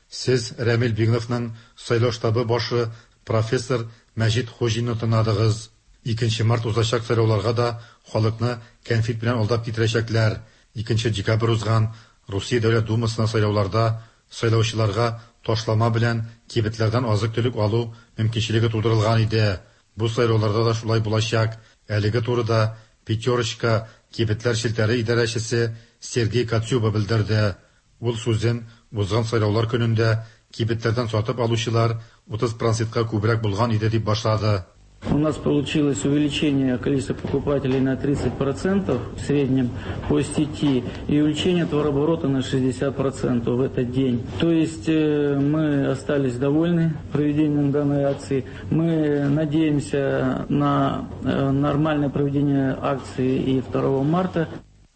Сез Рәмил Бигновның сайлау штабы башы профессор Мәҗит Хуҗинны тыңладыгыз. Икенче март узачак сайлауларга да халыкны кәнфит белән алдап китерәчәкләр. Икенче декабрь узган Русия Дәүләт Думасына сайлауларда сайлаучыларга ташлама белән кибетләрдән азык-төлек алу мөмкинчелеге тудырылган иде. Бу сайлауларда да шулай булачак. Әлеге турыда Пятерочка кибетләр челтәре идарәчесе Сергей Коцюба белдерде. Ул сүзен узган сайлаулар көнендә кибетләрдән сатып алучылар утыз процентка күбрәк булган иде дип башлады. У нас получилось увеличение количества покупателей на тридцать процентов в среднем по сети и увеличение товарооборота на шестьдесят процентов в этот день. То есть мы остались довольны проведением данной акции. Мы надеемся на нормальное проведение акции и второго марта.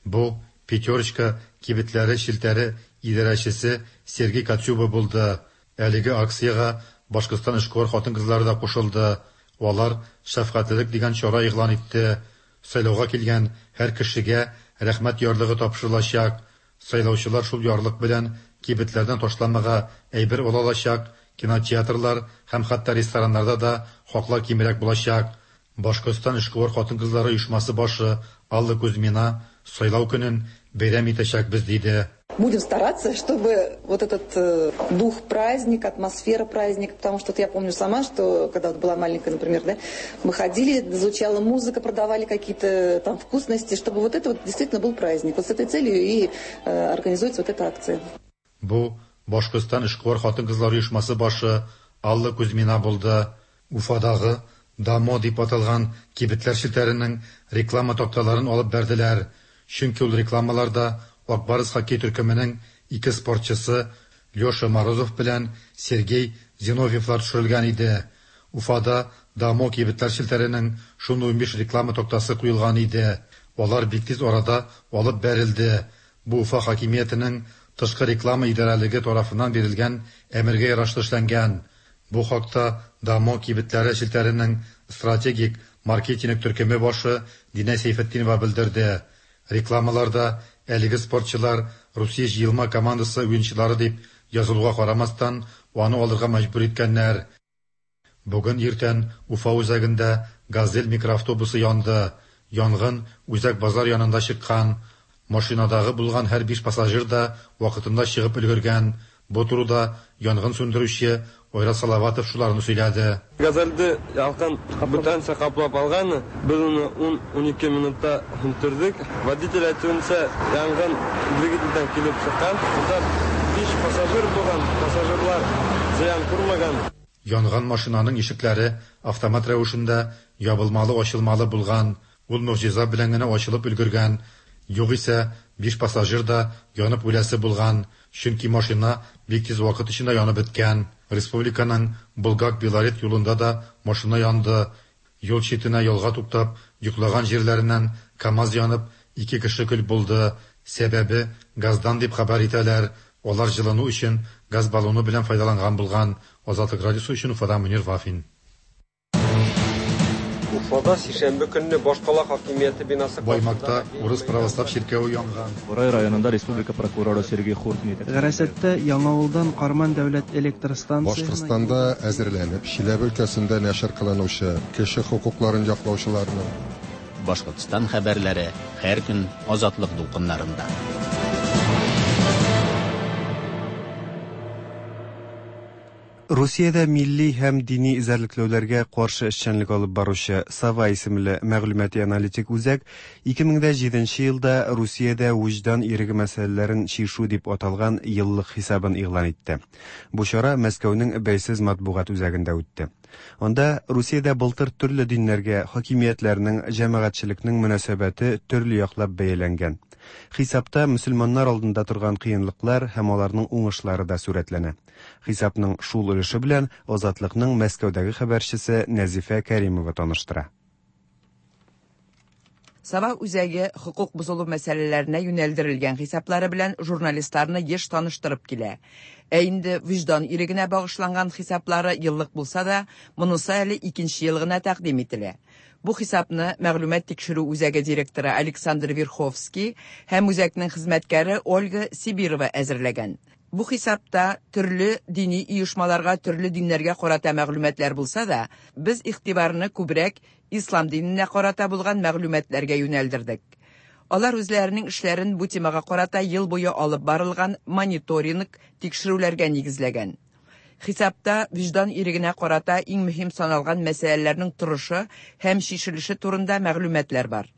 Бу Пятерочка кибетләре челтәре идарәчесе Сергей Коцюба булды. Әлеге акциягә Башкортстан эшкуар хатын-кызлары да кушылды. Алар шәфкатьлелек дигән чара игълан итте. Сайлауга килгән һәр кешегә рәхмәт ярлыгы тапшырылачак. Сайлаучылар шул ярлык белән кибетләрдән ташламага әйбер ала алачак, кинотеатрлар һәм хәтта рестораннарда да хаклар кимрәк булачак. Башкортстан эшкуар хатын-кызлары оешмасы башы Алла Кузьмина сайлау көнен бәйрәм итәчәкбез диде. Будем стараться, чтобы вот этот э, дух праздника, атмосфера праздника, потому что вот я помню сама, что когда вот была маленькая, например, да, мы ходили, звучала музыка, продавали какие-то там вкусности, чтобы вот это вот действительно был праздник. Вот с этой целью и э, организуется вот эта акция. Бу Башкортстан эшкуар хатын-кызлар оешмасы башы Алла Кузьмина булды. Уфадагы Дамо дип аталган кибетләр челтәренең реклама такталарын алып бәрделәр. Чөнки ул рекламаларда Ак Барс хоккей төркеменең ике спортчысы Леша Морозов белән Сергей Зиновьевлар төшерелгән иде. Уфада Дамо кибетләр челтәренең шундый унбиш реклама тактасы куелган иде. Алар бик тиз арада алып бәрелде. Бу Уфа хакимиятенең тышкы реклама идарәлеге тарафыннан бирелгән әмергә ярашлы эшләнгән. Бу хакта Дамо кибетләре челтәренең стратегик маркетинг төркеме башы Динә Сәйфетдинова белдерде. Рекламаларда әлеге спортчылар Русия җыелма командасы уенчылары дип язылуга карамастан, аны алырга мәҗбүр иткәннәр. Бүген иртән Уфа үзәгендә «Газель» микроавтобусы янды. Янгын үзәк базар янында чыккан. Машинадагы булган һәр биш пассажир да вакытында чыгып өлгергән. Бу турыда янгын сүндерүче Айрат Салаватов шуларны сөйләде. Газельде ялкын бүтәнчә каплап алган, без аны ун-унике минутта сүндердек. Водитель әйтүенчә, янгын двигательдән килеп чыккан. Монда биш пассажир булган, пассажирлар зыян күрмәгән. Янган машинаның ишекләре автомат рәвешендә ябылмалы-ачылмалы булган. Ул могҗиза белән генә ачылып өлгергән. Югыйсә, биш пассажир да янып үләсе булган, чөнки машина бик тиз вакыт эчендә янып беткән. Республиканың Булгак-Белорет юлында да машина янды. Юл читенә ялга туктап, йоклаган җирләреннән КАМАЗ янып, ике кеше көл булды. Сәбәбе газдан дип хәбәр итәләр. Алар җылыну өчен газ баллоны белән файдаланган булган. Азатлык радиосы өчен Уфадан Мөнир Вафин. Уфада сишәмбе көнне башкала хакимияте бинасы Баймакта урыс православ чиркәве янган. Бурай районында республика прокуроры Сергей Хуртин. Гарасәттә Яңавылдан Карман дәүләт электр станциясенә Башкортстанда әзерләнеп, Чиләбе өлкәсендә нәшер кылынучы кеше хокукларын яклаучыларның Башкортстан хәбәрләре һәр көн Азатлык дулкыннарында. Русиядә милли һәм дини эзәрлекләүләргә каршы эшчәнлек алып баручы Сова исемле мәгълүмати аналитик үзәк ике мең дә җиденче елда Русиядә вөҗдан иреге мәсьәләләрен чишү дип аталган еллык хисабын игълан итте. Бу чара Мәскәүнең бәйсез матбугат үзәгендә үтте. Анда Русиядә былтыр төрле диннәргә хакимиятләрнең, җәмәгатьчелекнең мөнәсәбәте төрле яклап бәяләнгән. Хисапта мөселманнар алдында торган кыенлыклар һәм аларның уңышлары да сурәтләнә. Хисапның шул өлеше белән Азатлыкның Мәскәүдәге хәбәрчесе Нәзифә Кәримова таныштыра. Сова үзәге хокук бозылу мәсьәләләренә юнәлдерелгән хисаплары белән журналистларны еш таныштырып килә. Ә инде вөҗдан ирегенә багышланган хисаплары еллык булса да, монысы әле икенче ел гына тәкъдим ителә. Бу хисапны мәгълүмат тикшерү үзәге директоры Александр Верховский һәм үзәкнең хезмәткәре Ольга Сибирова әзерләгән. Бу хисапта төрле дини оешмаларга, төрле диннәргә карата мәгълүматлар булса да, без игътибарны күбрәк ислам диненә карата булган мәгълүматларга юнәлдердек. Алар үзләренең эшләрен бу темага карата ел буе алып барылган мониторинг тикшерүләргә нигезләгән. Хисапта вөҗдан ирегенә карата иң мөһим саналган мәсьәләләрнең торышы һәм чишелеше турында мәгълүматлар бар.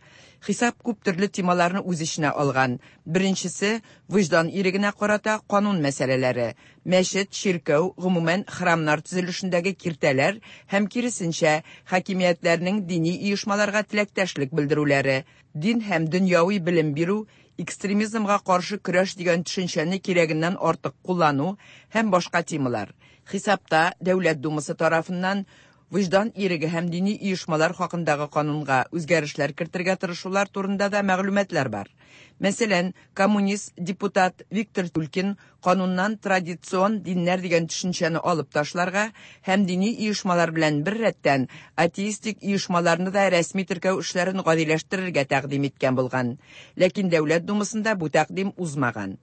Хисап күп төрле темаларны үз эченә алган. Беренчесе вөҗдан ирегенә карата канун мәсьәләләре, мәчет, чиркәү, гомумән храмнар төзелешендәге киртәләр һәм киресенчә хакимиятләрнең дини оешмаларга теләктәшлек белдерүләре, дин һәм дөньяви белем бирү, экстремизмга каршы көрәш дигән төшенчәне кирәгеннән артык куллану һәм башка темалар. Хисапта Дәүләт Думасы тарафыннан вөҗдан иреге һәм дини оешмалар хакындагы канунга үзгәрешләр кертергә тырышулар турында да мәгълүматлар бар. Мәсәлән, коммунист депутат Виктор Тюлькин кануннан традицион диннәр дигән төшенчәне алып ташларга һәм дини оешмалар белән бер рәттән атеистик оешмаларны да рәсми теркәү эшләрен гадиләштерергә тәкъдим иткән булган. Ләкин Дәүләт Думасында бу тәкъдим узмаган.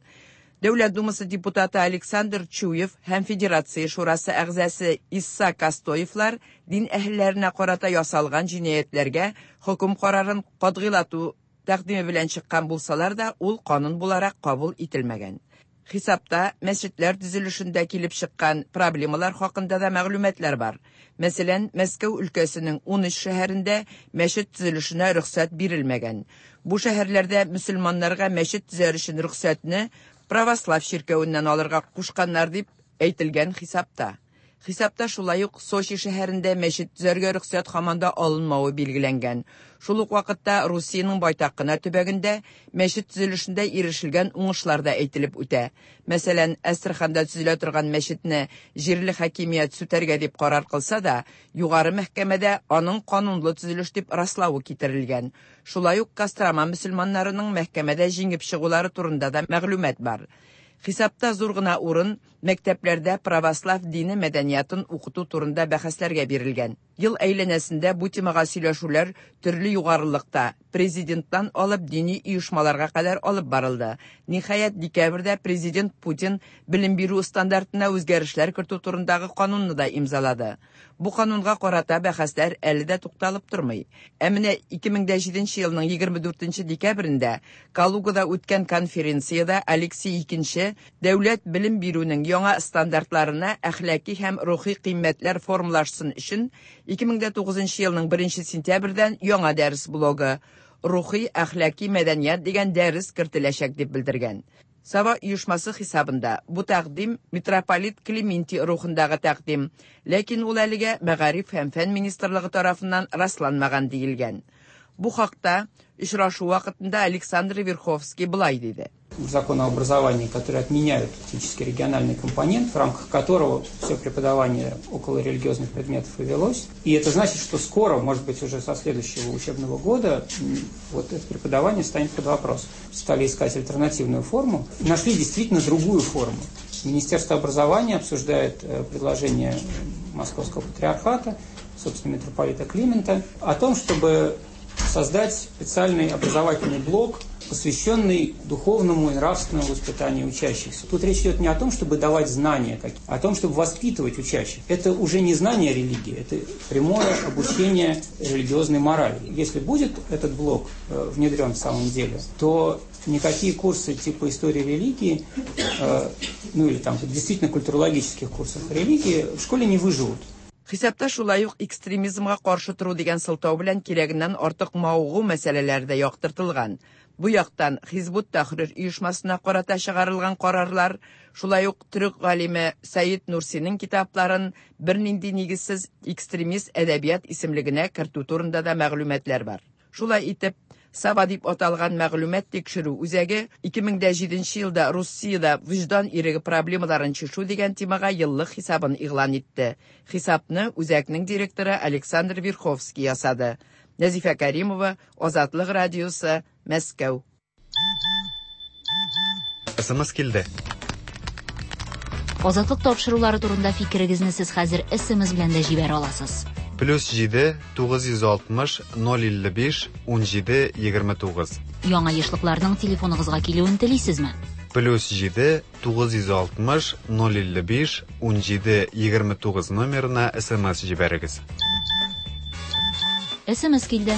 Дәүләт Думасы депутаты Александр Чуев һәм Федерация Шурасы әгъзасы Исса Костоевлар дин әһелләренә карата ясалган җинаятьләргә хөкем карарын катгыйлату тәкъдиме белән чыккан булсалар да, ул канун буларак кабул ителмәгән. Хисапта мәчетләр төзелешендә килеп чыккан проблемалар хакында да мәгълүматлар бар. Мәсәлән, Мәскәү өлкәсенең ун өч шәһәрендә мәчет төзелешенә рөхсәт бирелмәгән. Бу шәһәрләрдә мөселманнарга мәчет төзәр өчен рөхсәтне православ чиркәвеннән алырга кушканнар дип әйтелгән хисапта. Хисапта шулай ук Сочи шәһәрендә мәчет төзәргә рөхсәт һаман да алынмавы билгеләнгән. Шул ук вакытта Русиянең байтак кына төбәгендә мәчет төзелешендә ирешелгән уңышлар да әйтелеп үтә. Мәсәлән, Әстерханда төзелә торган мәчетне җирле хакимият сүтәргә дип карар кылса да, югары мәхкәмәдә аның канунлы төзелеш дип раславы китерелгән. Шулай ук Кострома мөселманнарының мәхкәмәдә җиңеп чыгулары турында да мәгълүмат бар. Хисапта зур гына урын мәктәпләрдә православ дине мәдәниятын укыту турында бәхәсләргә бирелгән. Ел әйләнәсендә бу темага сөйләшүләр төрле югарылыкта, президенттан алып дини оешмаларга кадәр алып барылды. Ниһаять, декабрьдә президент Путин белем бирү стандартына үзгәрешләр кертү турындагы канунны да имзалады. Бу канунга карата бәхәсләр әле дә тукталып тормый. Ә менә ике мең дә җиденче елның егерме дүртенче декабрендә Калугада үткән конференциядә Алексей Икенче дәүләт белем бирүнең яңа стандартларына әхлаки һәм рухи кыйммәтләр формалашсын өчен ике мең дә тугызынчы елның беренче сентябрьдән яңа дәрес блогы «Рухи әхлаки мәдәният» дигән дәрес кертеләчәк дип белдергән. Сава оешмасы хисабында бу тәкъдим митрополит Клементий рухындагы тәкъдим, ләкин ул әлегә Мәгариф һәм фән министрлыгы тарафыннан расланмаган диелгән. Бу хакта очрашу вакытында Александр Верховский былай диде. Закон о образовании, который отменяют фактически региональный компонент, в рамках которого все преподавание около религиозных предметов и велось. И это значит, что скоро, может быть, уже со следующего учебного года, вот это преподавание станет под вопрос. Стали искать альтернативную форму. Нашли действительно другую форму. Министерство образования обсуждает предложение Московского патриархата, собственно, митрополита Климента, о том, чтобы создать специальный образовательный блок, посвященный духовному и нравственному воспитанию учащихся. Тут речь идет не о том, чтобы давать знания, а о том, чтобы воспитывать учащих. Это уже не знание религии, это прямое обучение религиозной морали. Если будет этот блок внедрен в самом деле, то никакие курсы типа истории религии, ну или там действительно культурологических курсов религии в школе не выживут. Хисапта шулай ук экстремизмга каршы тору дигән сылтау белән кирәгеннән артык мавыгу мәсьәләләре дә яктыртылган. Бу яктан Хизбут Тахрир оешмасына карата чыгарылган карарлар, шулай ук төрек галиме Сәид Нурсиның китапларын бернинди нигезсез экстремист әдәбият исемлегенә кертү турында да мәгълүматлар бар. Шулай итеп, Сава дип аталган мәгълүмат тикшерү үзәге ике мең дә җиденче елда Русиядә вөҗдан иреге проблемаларын чишү дигән темага еллык хисабын игълан итте. Хисапны үзәкнең директоры Александр Верховский ясады. Нәзифә Каримова, Азатлык радиосы, Мәскәү. Эс эм эс килде. Азатлык тапшырулары турында фикерегезне сез хәзер эс эм эс белән дә җибәрә аласыз. Плюс җиде, тугыз йөз алтмыш, ноль илле биш, ун җиде, егерме тугыз. Яңа ешлыкларның телефоныгызга килүен телисезме? Плюс җиде тугыз йөз алтмыш ноль илле биш унҗиде егерме тугыз номерына СМС җибәрегез. СМС килде.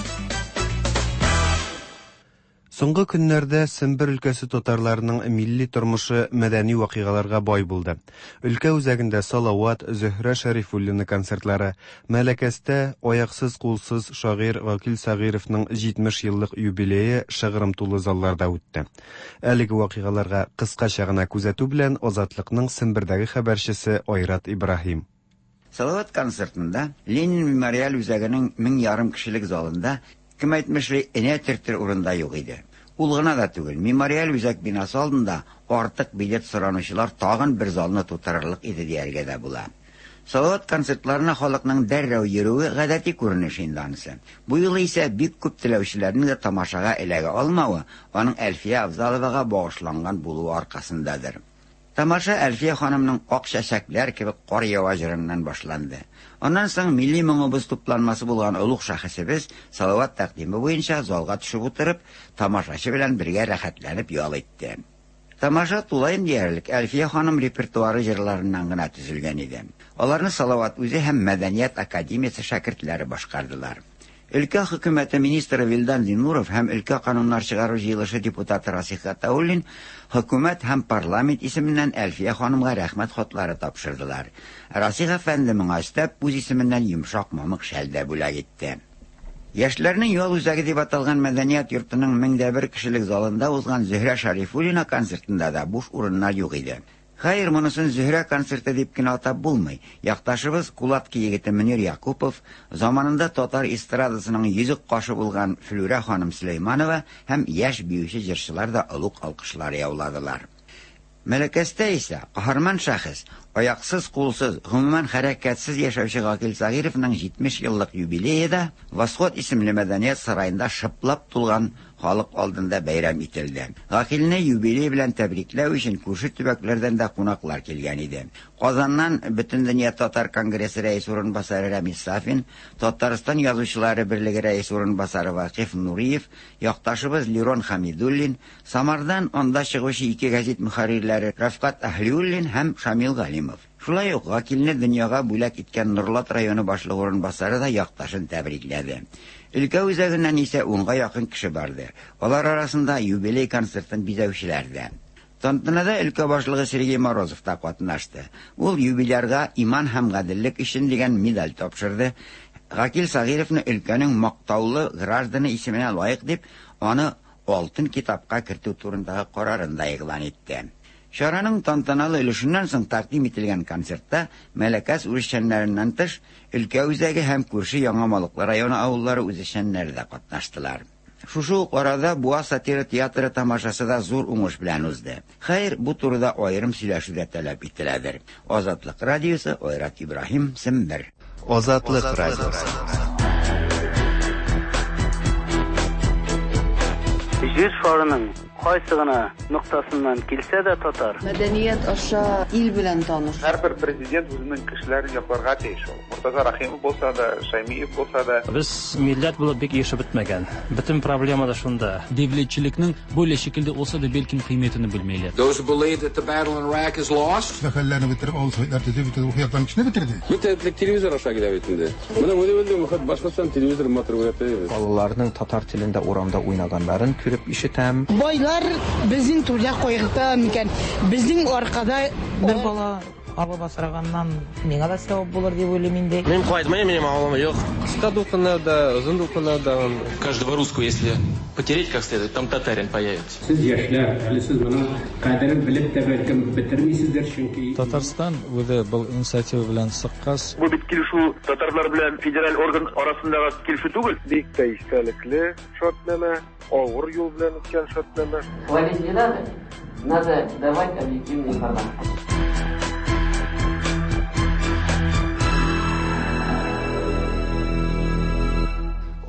Соңгы көннәрдә Сембер өлкәсе татарларының милли тормышы мәдәни вакыйгаларга бай булды. Өлкә үзәгендә Салават, Зөһрә Шәрифуллина концертлары, Мәләкәстә аяксыз-кулсыз шагыйрь Гакил Сәгыйровның җитмеш еллык юбилее шыгрым тулы залларда үтте. Әлеге вакыйгаларга кыскача гына күзәтү белән Азатлыкның Сембердәге хәбәрчесе Айрат Ибраһим. Салават концертында Ленин мемориаль үзәгенең мең ярым кешелек залында кем әйтмешли энә төртер урында юк иде. Ул гына да түгел, мемориаль үзәк бинасы алдында артык билет соранучылар тагын бер залны тутырырлык иде дияргә дә була. Салават концертларына халыкның дәррәү йөрүе гадәти күренеш инде анысы. Бу юлы исә бик күп теләүчеләрнең дә тамашага эләгә алмавы аның Әлфия Авзаловага багышланган булуы аркасындадыр. Тамаша Әлфия ханымның ак чәчәкләр кебек кар ява җырыннан башланды. Аннан соң милли моңыбыз тупланмасы булган олуг шәхесебез Салават тәкъдиме буенча залга төшеп утырып, тамашачы белән бергә рәхәтләнеп ял итте. Тамаша тулаем диярлек Әлфия ханым репертуары җырларыннан гына төзелгән иде. Аларны Салават үзе һәм Мәдәният академиясе шәкертләре башкардылар. Өлкә хөкүмәте министры Вилдан Зиннуров һәм өлкә кануннар чыгару җыелышы депутаты Расих Гатауллин хөкүмәт һәм парламент исеменнән Әлфия ханымга рәхмәт хатлары тапшырдылар. Расих әфәнде моңа өстәп үз исеменнән йомшак мамык шәл дә бүләк итте. Яшьләрнең ял үзәге дип аталган мәдәният йортының мең дә бер кешелек залында узган Зөһрә Шәрифуллина концертында да буш урыннар юк иде. Хәер, монысын Зөһрә концерты дип кенә атап булмый. Якташыбыз Кулатки егете Мөнир Якупов, заманында татар эстрадасының йөзек кашы булган Флүрә ханым Сөләйманова һәм яшь биюче җырчылар да олуг алкышлар яуладылар. Мәләкәстә исә каһарман шәхес, аяксыз, кулсыз, гомумән хәрәкәтсез яшәүче Гакил Сәгыйровның җитмеш еллык юбилее да Восход исемле мәдәният сараенда шыплап тулган халык алдында бәйрәм ителде. Гакилне юбилей белән тәбрикләү өчен күрше төбәкләрдән дә кунаклар килгән иде. Казаннан Бөтендөнья татар конгрессы рәис урынбасары Рәмис Сафин, Татарстан язучылары берлеге рәис урынбасары Вакыйф Нуриев, якташыбыз Лирон Хамидуллин, Самардан анда чыгучы ике газет мөхәррирләре Рафкат Әһлиуллин һәм Шамил Галимов. Шулай ук Гакилне дөньяга бүләк иткән Нурлат районы башлыгы урынбасары да якташын тәбрикләде. Өлкә үзәгеннән исә унга якын кеше барды. Алар арасында юбилей концертын бизәүчеләр дә. Тантанада өлкә башлыгы Сергей Морозов та катнашты. Ул юбилярга иман һәм гаделлек өчен дигән медаль тапшырды. Гакил Сәгыйровны өлкәнең мактаулы гражданы исеменә лаек дип, аны алтын китапка кертү турындагы карарын да игълан итте. Чараның тантаналы өлешеннән соң тәкъдим ителгән концертта Мәләкәс үзешчәннәреннән тыш өлкә үзәге һәм күрше Яңа Малыклы районы авыллары үзешчәннәре дә катнаштылар. Шушы ук арада Буа сатира театры тамашасы да зур уңыш белән узды. Хәер, бу турыда аерым сөйләшү дә таләп ителәдер. Азатлык радиосы, Айрат Ибраһим, Сембер. Азатлык радиосы. Җир шарының кайсы гына ноктасыннан килсә дә татар. Мәдәният аша ил белән таныш. Һәрбер президент үзенең кешеләрен якларга тиеш ул. Муртаза Рахимов булса да, Шаймиев булса да. Без милләт булып бик ирешеп бетмәгән. Бөтен проблема да шунда. Devletçilikning böyle şekilde olsa da belki kıymetini bilmeyler. Those who believe that the battle in Iraq is lost. Хәлләрне бетереп, авыл советлар төзеп, бөтен рухи яктан кешене бетерде. Бөтен телевизор аша килә бит инде. Менә үзе белдем, башкортстан телевизор матур күрәтә. Балаларның татар телендә урамда уйнаганнарын күреп ишетәм. Байлар безнең түрдә кайгырта микән? Безнең аркада бер бала алып асраганнан миңа да сәбәп булыр дип уйлыйм инде. Мин кайтмыйм, минем авылым юк. Кыска дулкыннарда, озын дулкыннарда. Каждого русского, если потереть как следует, там татарин появится. Сез яшьләр, әле сез моның кадерен белеп тә бәлкем бетермисездер, чөнки Татарстан үзе был инициатива белән чыккач. Бу бит килешү татарлар белән федераль орган арасындагы килешү түгел. Бик тә истәлекле шартнамә, авыр юл белән үткән шартнамә. Хвалить не надо, надо давать объективную информацию.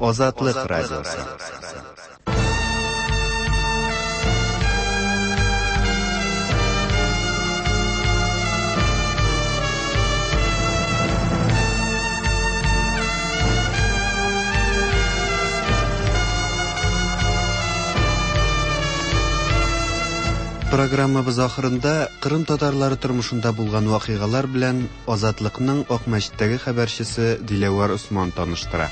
Азатлык радиосы. Программабыз ахырында Кырым татарлары тормышында булган вакыйгалар белән Азатлыкның Акмәчеттәге хәбәрчесе Диләвәр Осман таныштыра.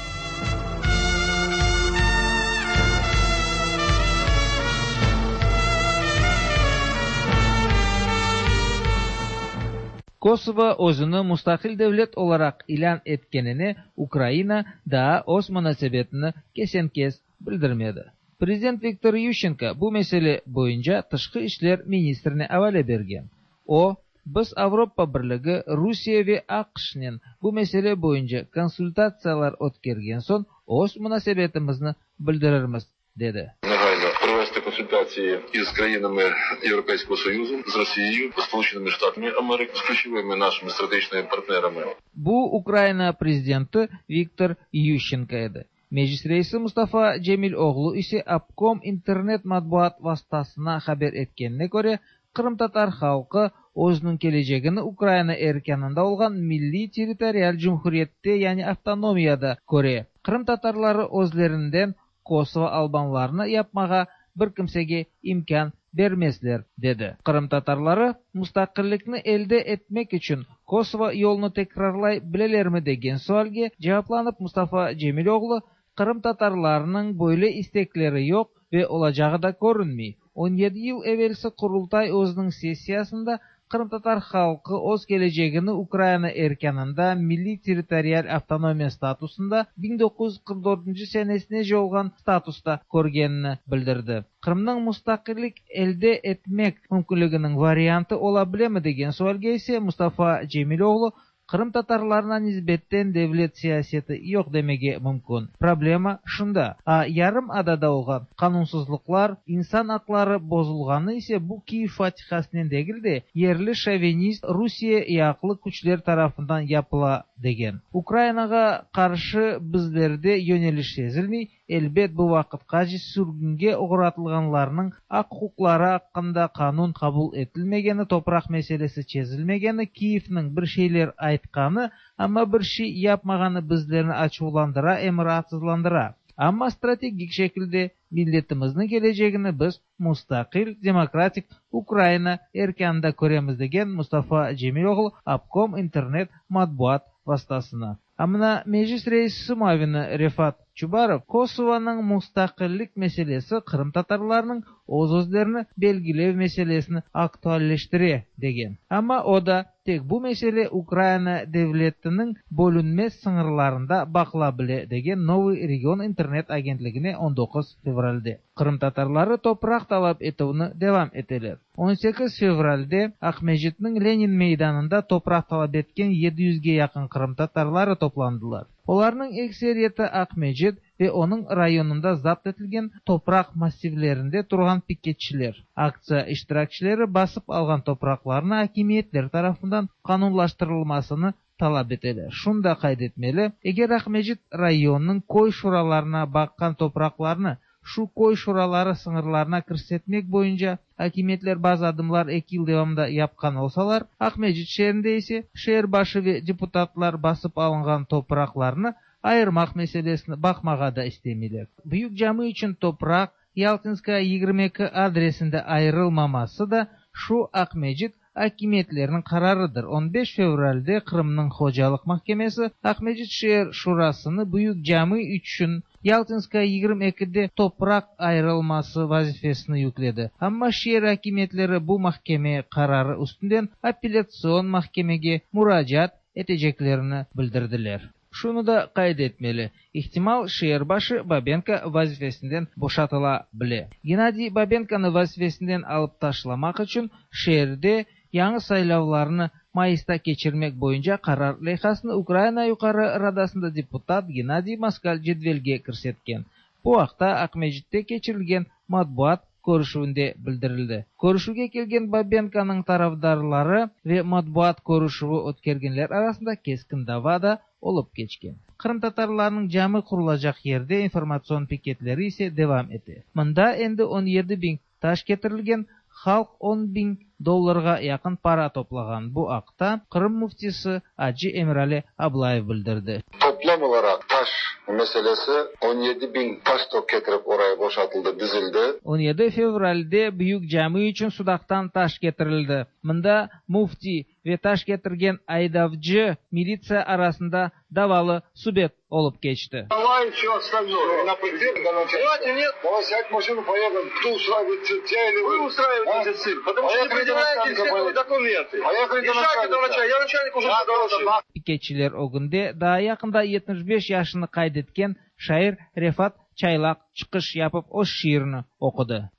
Kosovo özüni mustaqil devlet olaraq ilân etkenine Ukraina daa öz munasebetini kesen-kes bildirmedi. Prezident Viktor Yuşçenko bu mesele boyunca Tışqı işler ministrine avale bergen. O, biz Avropa Birligi, Rusiye ve AQŞnen bu mesele boyunca konsultatsiyalar ötkergen soñ öz munasebetimizni bildirirmiz, dedi. Негайно провести консультації із країнами Європейського Союзу, з Росією, з Сполученими Штатами Америки, з ключовими нашими стратегічними партнерами. Bu Ukraina prezidenti Viktor Yuşçenko edi. Meclis reisi Mustafa Cemiloğlu ise Apkom internet matbuat vastasına haber etkenine köre, Qırımtatar halqı özüniñ kelecegini Ukraina erkânında olğan milliy territorial cumhuriyette, yani avtonomiyada köre. Qırımtatarları özlerinden Kosovo albanlarını yapmağa bir kimsege imkân bermezler, dedi. Qırımtatarları mustaqillikni elde etmek içün Kosovo yolunı tekrarlay bilelermi degen sualge cevaplanıp Mustafa Cemiloğlu, Qırımtatarlarınıñ böyle istekleri yoq ve olacağı da körünmey. on yedi yıl evelsi Qurultay özüniñ sessiyasında Qırımtatar halqı öz kelecegini Ukraina erkânında milliy territorial avtonomiya statusında biñ doquz yüz qırq dörtünci senesine olğan statusta körgenini bildirdi. Qırımnıñ mustaqillik elde etmek mümkünliginiñ variantı ola bilemi degen sualge ise Mustafa Cemiloğlu, Qırımtatarlarına nisbetten devlet siyaseti yoq demege mümkün. Problema şunda. A yarım adada olğan qanunsızlıqlar, insan aqları bozulğanı ise bu Kiyev fatihasınen degil de yerli şovinist Rusiye yaqlı küçler tarafından yapıla degen. Ukrainağa qarşı bizlerde yöneliş sezilmey, elbet bu vaqıtqace sürgünge oğratılğanlarnıñ aq-uquqları aqqında qanun qabul etilmegeni, topraq meselesi çezilmegeni, Kiyevniñ bir şeyler aytqanı, amma bir şey yapmağanı bizlerni açuvlandıra em raatsızlandıra. Amma strategik şekilde milletimizniñ kelecegini biz mustaqil demokratik Ukraina erkânında köremiz degen Mustafa Cemiloğlu Apkom internet matbuat vastasına. Amına Meclis reisi muavini Refat Çubarov Kosovanıñ mustaqillik meselesi qırımtatarlarnıñ öz-özlerini belgilev meselesini aktualleştire degen. Amma o da tek bu mesele Ukraina devletiniñ bölünmez sıñırlarında baqıla bile degen Novıy Region internet agentligine on doquz fevralde. Qırımtatarları topraq talap etüvni devam eteler. on sekiz fevralde Aqmescitniñ Lenin meydanında topraq talap etken yedi yüzge yaqın qırımtatarları toplandılar. Olarnıñ ekseriyeti Aqmescit ve onıñ rayonında zapt etilgen topraq massivlerinde turğan piketçiler. Aktsiya iştirakçileri basıp alğan topraqlarnı akimiyetler tarafından qanunlaştırılmasını talap eteler. Şunı da qayd etmeli, eger Aqmescit rayonınıñ köy şuralarına baqqan topraqlarnı şu köy şuraları sıñırlarına kirsetmek boyunca akimiyetler bazı adımlar eki yıl devamında yapqan olsalar, Aqmescit şeerinde ise şeer başı ve deputatlar basıp alınğan topraqlarnı ayırmaq meselesini baqmağa da istemeyler. Büyük cami içün topraq Yaltinskaya yigirmi eki adresinde ayırılmaması da şu Aqmescit akimiyetleriniñ qararıdır. on beş fevralde Qırımnıñ Hocalıq mahkemesi Aqmescit şeer şurasını Büyük cami içün Yaltinskaya yigirmi ekide topraq ayırılması vazifesini yükledi. Amma şeer akimiyetleri bu mahkeme qararı üstünden apellâtsion mahkemege muracaat eteceklerini bildirdiler. Şunı da qayd etmeli, ihtimal şeer başı Babenko vazifesinden boşatıla bile. Gennadiy Babenkonı vazifesinden alıp taşlamaq içün şeerde yañı saylavlarnı mayısta keçirmek boyunca qarar leyhasını Ukraina Yuqarı Radasında deputat Gennadiy Moskal cedvelge kirsetken. Bu aqta Aqmescitte keçirilgen matbuat körüşüvinde bildirildi. Körüşüvge kelgen Babenkonıñ tarafdarları ve matbuat körüşüvi ötkergenler arasında keskin dava da olıp keçken. Qırımtatarlarnıñ cami qurulacaq yerde informatsion piketleri ise devam ete. Mında endi on yedi biñ taş ketirilgen, halq on biñ dollarğa yaqın para toplağan. Bu aqta Qırım müftisi Acı Emirali Ablayev bildirdi. Toplam Tam olarak taş meselesi on yedi bin taş tok getirip oraya boşaltıldı, dizildi. on yedi fevralde büyük cami için Sudak'tan taş getirildi. Mında mufti ve taş getirgen aydavcı militsiya arasında davalı subet olup geçti. Давай все остальное. Давайте нет. Давай сядь в машину, поехали. Кто устраивает цирк? Я или вы? Вы устраиваете цирк, потому что не предъявляете все документы. Поехали до начальника. Я начальник уже доложил. Piketçiler o günde daha yakında yetmiş beş yaşını kaydetken şair Refat Çaylak çıkış yapıp o şiirini okudu.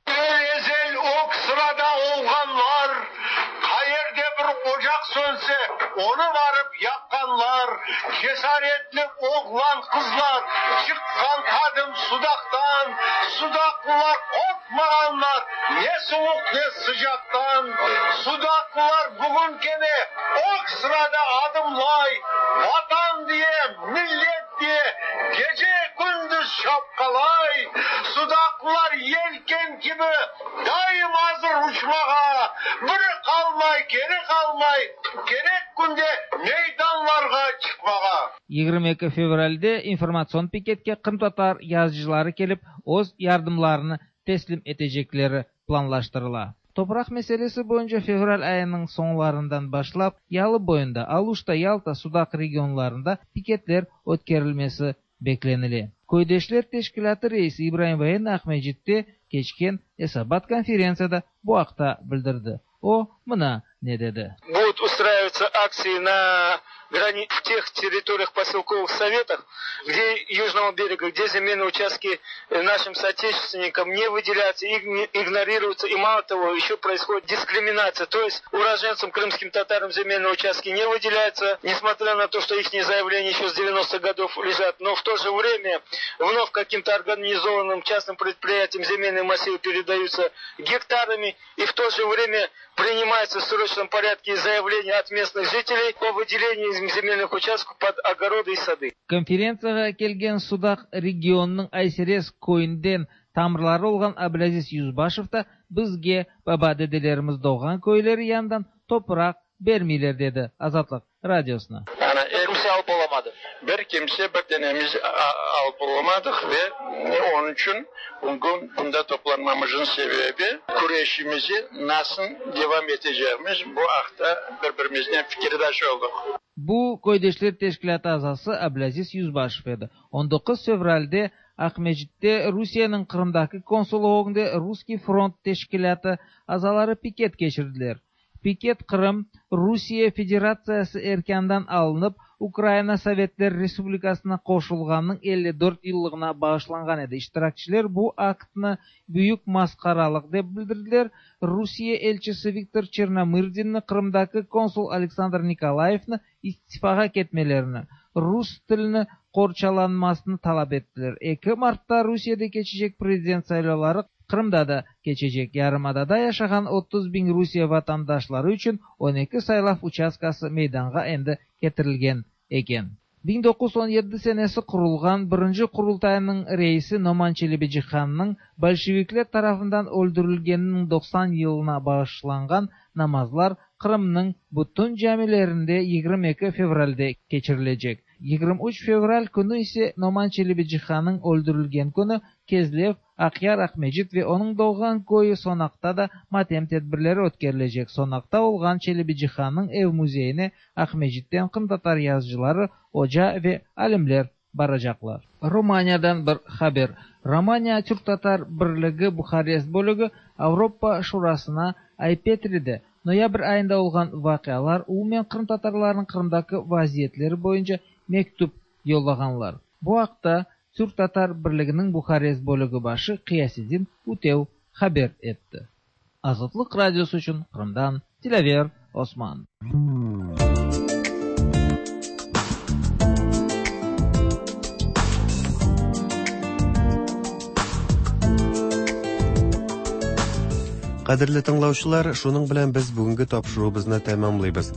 Ezel ok sırada olganlar, kayerde bir ocak sönse onu varıp yakkanlar, cesaretli oğlan kızlar, çıkkan kadın Sudak'tan, Sudaklılar korkmaganlar, ne soğuk ne sıcaktan, Sudaklılar bugün gene ok sırada adımlay, vatan diye, millet diye, gece gündüz şapkalay, Sudaklılar yelken gibi daim hazır uçmağa, biri kalmay, geri kalmay, gerek günde meydanlarga çıkmağa. yigirmi ikki fevralde informasyon piketke Qırımtatar yazıcıları kelip öz yardımlarını teslim etecekleri planlaştırıla. Toprak meselesi boyunca fevral ayının sonlarından başlap Yalı boyunda, Aluşta, Yalta, Sudak regionlarında piketler ötkerilmesi beklenili. Köydeşler Teşkilatı reisi İbrahim Vayen Akmecit'te geçken Esabat konferensiyada bu akta bildirdi. O mına ne dedi? Будут устраиваться акции на грани... в тех территориях поселковых советах, где Южного берега, где земельные участки нашим соотечественникам не выделяются, игнорируются, и мало того, еще происходит дискриминация. То есть уроженцам, крымским татарам земельные участки не выделяются, несмотря на то, что их заявления еще с девяностых годов лежат, но в то же время вновь каким-то организованным частным предприятиям земельные массивы передаются гектарами, и в то же время принимается в срочном порядке заявление от местных жителей о выделении земельных участков под огороды и сады. Конференцияга келген Судак регионының Айсерес көйүнден тамырлары болгон Абдулазиз Юзбашев да бизге баба деделерimiz doğgan көйлери яндан топурак бермейлер деди Азатлык радиосуна. Kimse alıp olamadı. Bir kimse bir denemiz alıp olamadık ve onun için bugün bunda toplanmamızın sebebi kureşimizi nasıl devam edeceğimiz bu akta birbirimizden fikirdaş olduk. Bu Köydeşler Teşkilatı azası Abdulaziz Yüzbaşev edi. on dokuz fevralde Akmecit'te Rusiyanın Kırım'daki konsolluğunda Ruski Front Teşkilatı azaları piket geçirdiler. Piket Kırım, Rusiya Federatsiyası erkandan alınıp Ukrayna Sovetler Respublikasına qoşulğanının elli dört yıllığına bağışlanğan edi. İştirakçiler bu aktını büyük masqaralıq dep bildirdiler. Rusiya elçisi Viktor Çernomyrdinni Kırımdaki konsul Aleksandr Nikolayevni istifağa ketmelerini, Rus tilini qorçalanmasını talap ettiler. eki Mart'ta Rusiyada keçecek prezident saylavları Kırım'da da keçecek. Yarımadada yaşayan otuz bin Rusiya vatandaşları üçün on iki saylav участкасы meydanğa endi getirilgen eken. bin dokuz yüz on yedi senesi kurulgan birinci kurultayının reisi Noman Çelebicihan'ın bolşevikler tarafından öldürülgeninin doksan yılına bağışlangan namazlar Kırım'ın bütün camilerinde yigirmi iki fevralde keçirilecek. yigirmi üç fevral günü ise Noman Çelebicihan'ın öldürülgen günü Kezlev, Akyar, Akmecit ve onun doğan köyü Sonak'ta da matem tedbirleri ötkerilecek. Sonak'ta olgan Çelebicihan'ın ev müzeyine Akmecit'ten Kırım Tatar yazıcıları, hoca ve alimler baracaklar. Romanya'dan bir haber. Romanya Türk Tatar Birligi Buharest bölügü Avrupa Şurasına Aypetri'de noyabr ayında olgan vaqialar umumen Kırım Tatarlarının Kırım'daki vaziyetleri boyunca mektup yollağanlar. Bu haqda Türk Tatar Birliğinin Buharest bölügü başı Qiyasiddin Utev haber etti. Azatlık Radyosu üçün Kırım'dan Dilaver Osman. Кадерле тыңлаучылар, шуның белән без бүгенге тапшыруыбызны тәмамлыйбыз.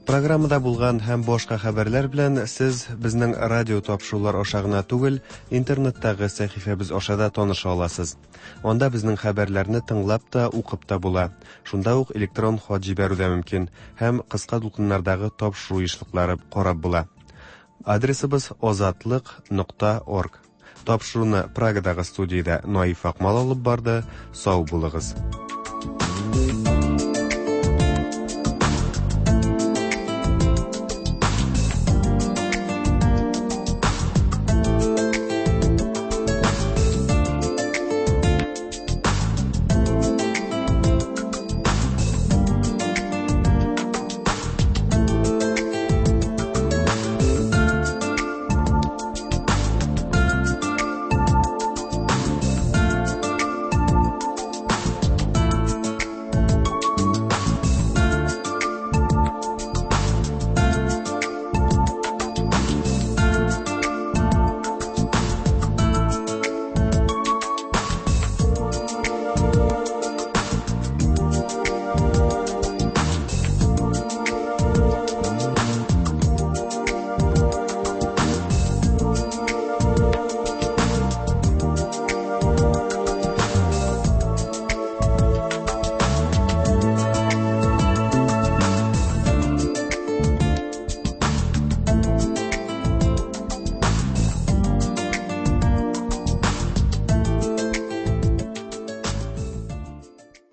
Программада булган һәм башка хәбәрләр белән сез безнең радио тапшырулар аша гына түгел, интернеттагы сәхифәбез аша да таныша аласыз. Анда безнең хәбәрләрне тыңлап та, укып та була. Шунда ук электрон хат җибәрү дә мөмкин һәм кыска дулкыннардагы тапшыру ешлыклары карап була. Адресыбыз озатлык нокта орг. Тапшыруны Прагадагы студиядә Наиф Акмал алып барды. Сау булыгыз.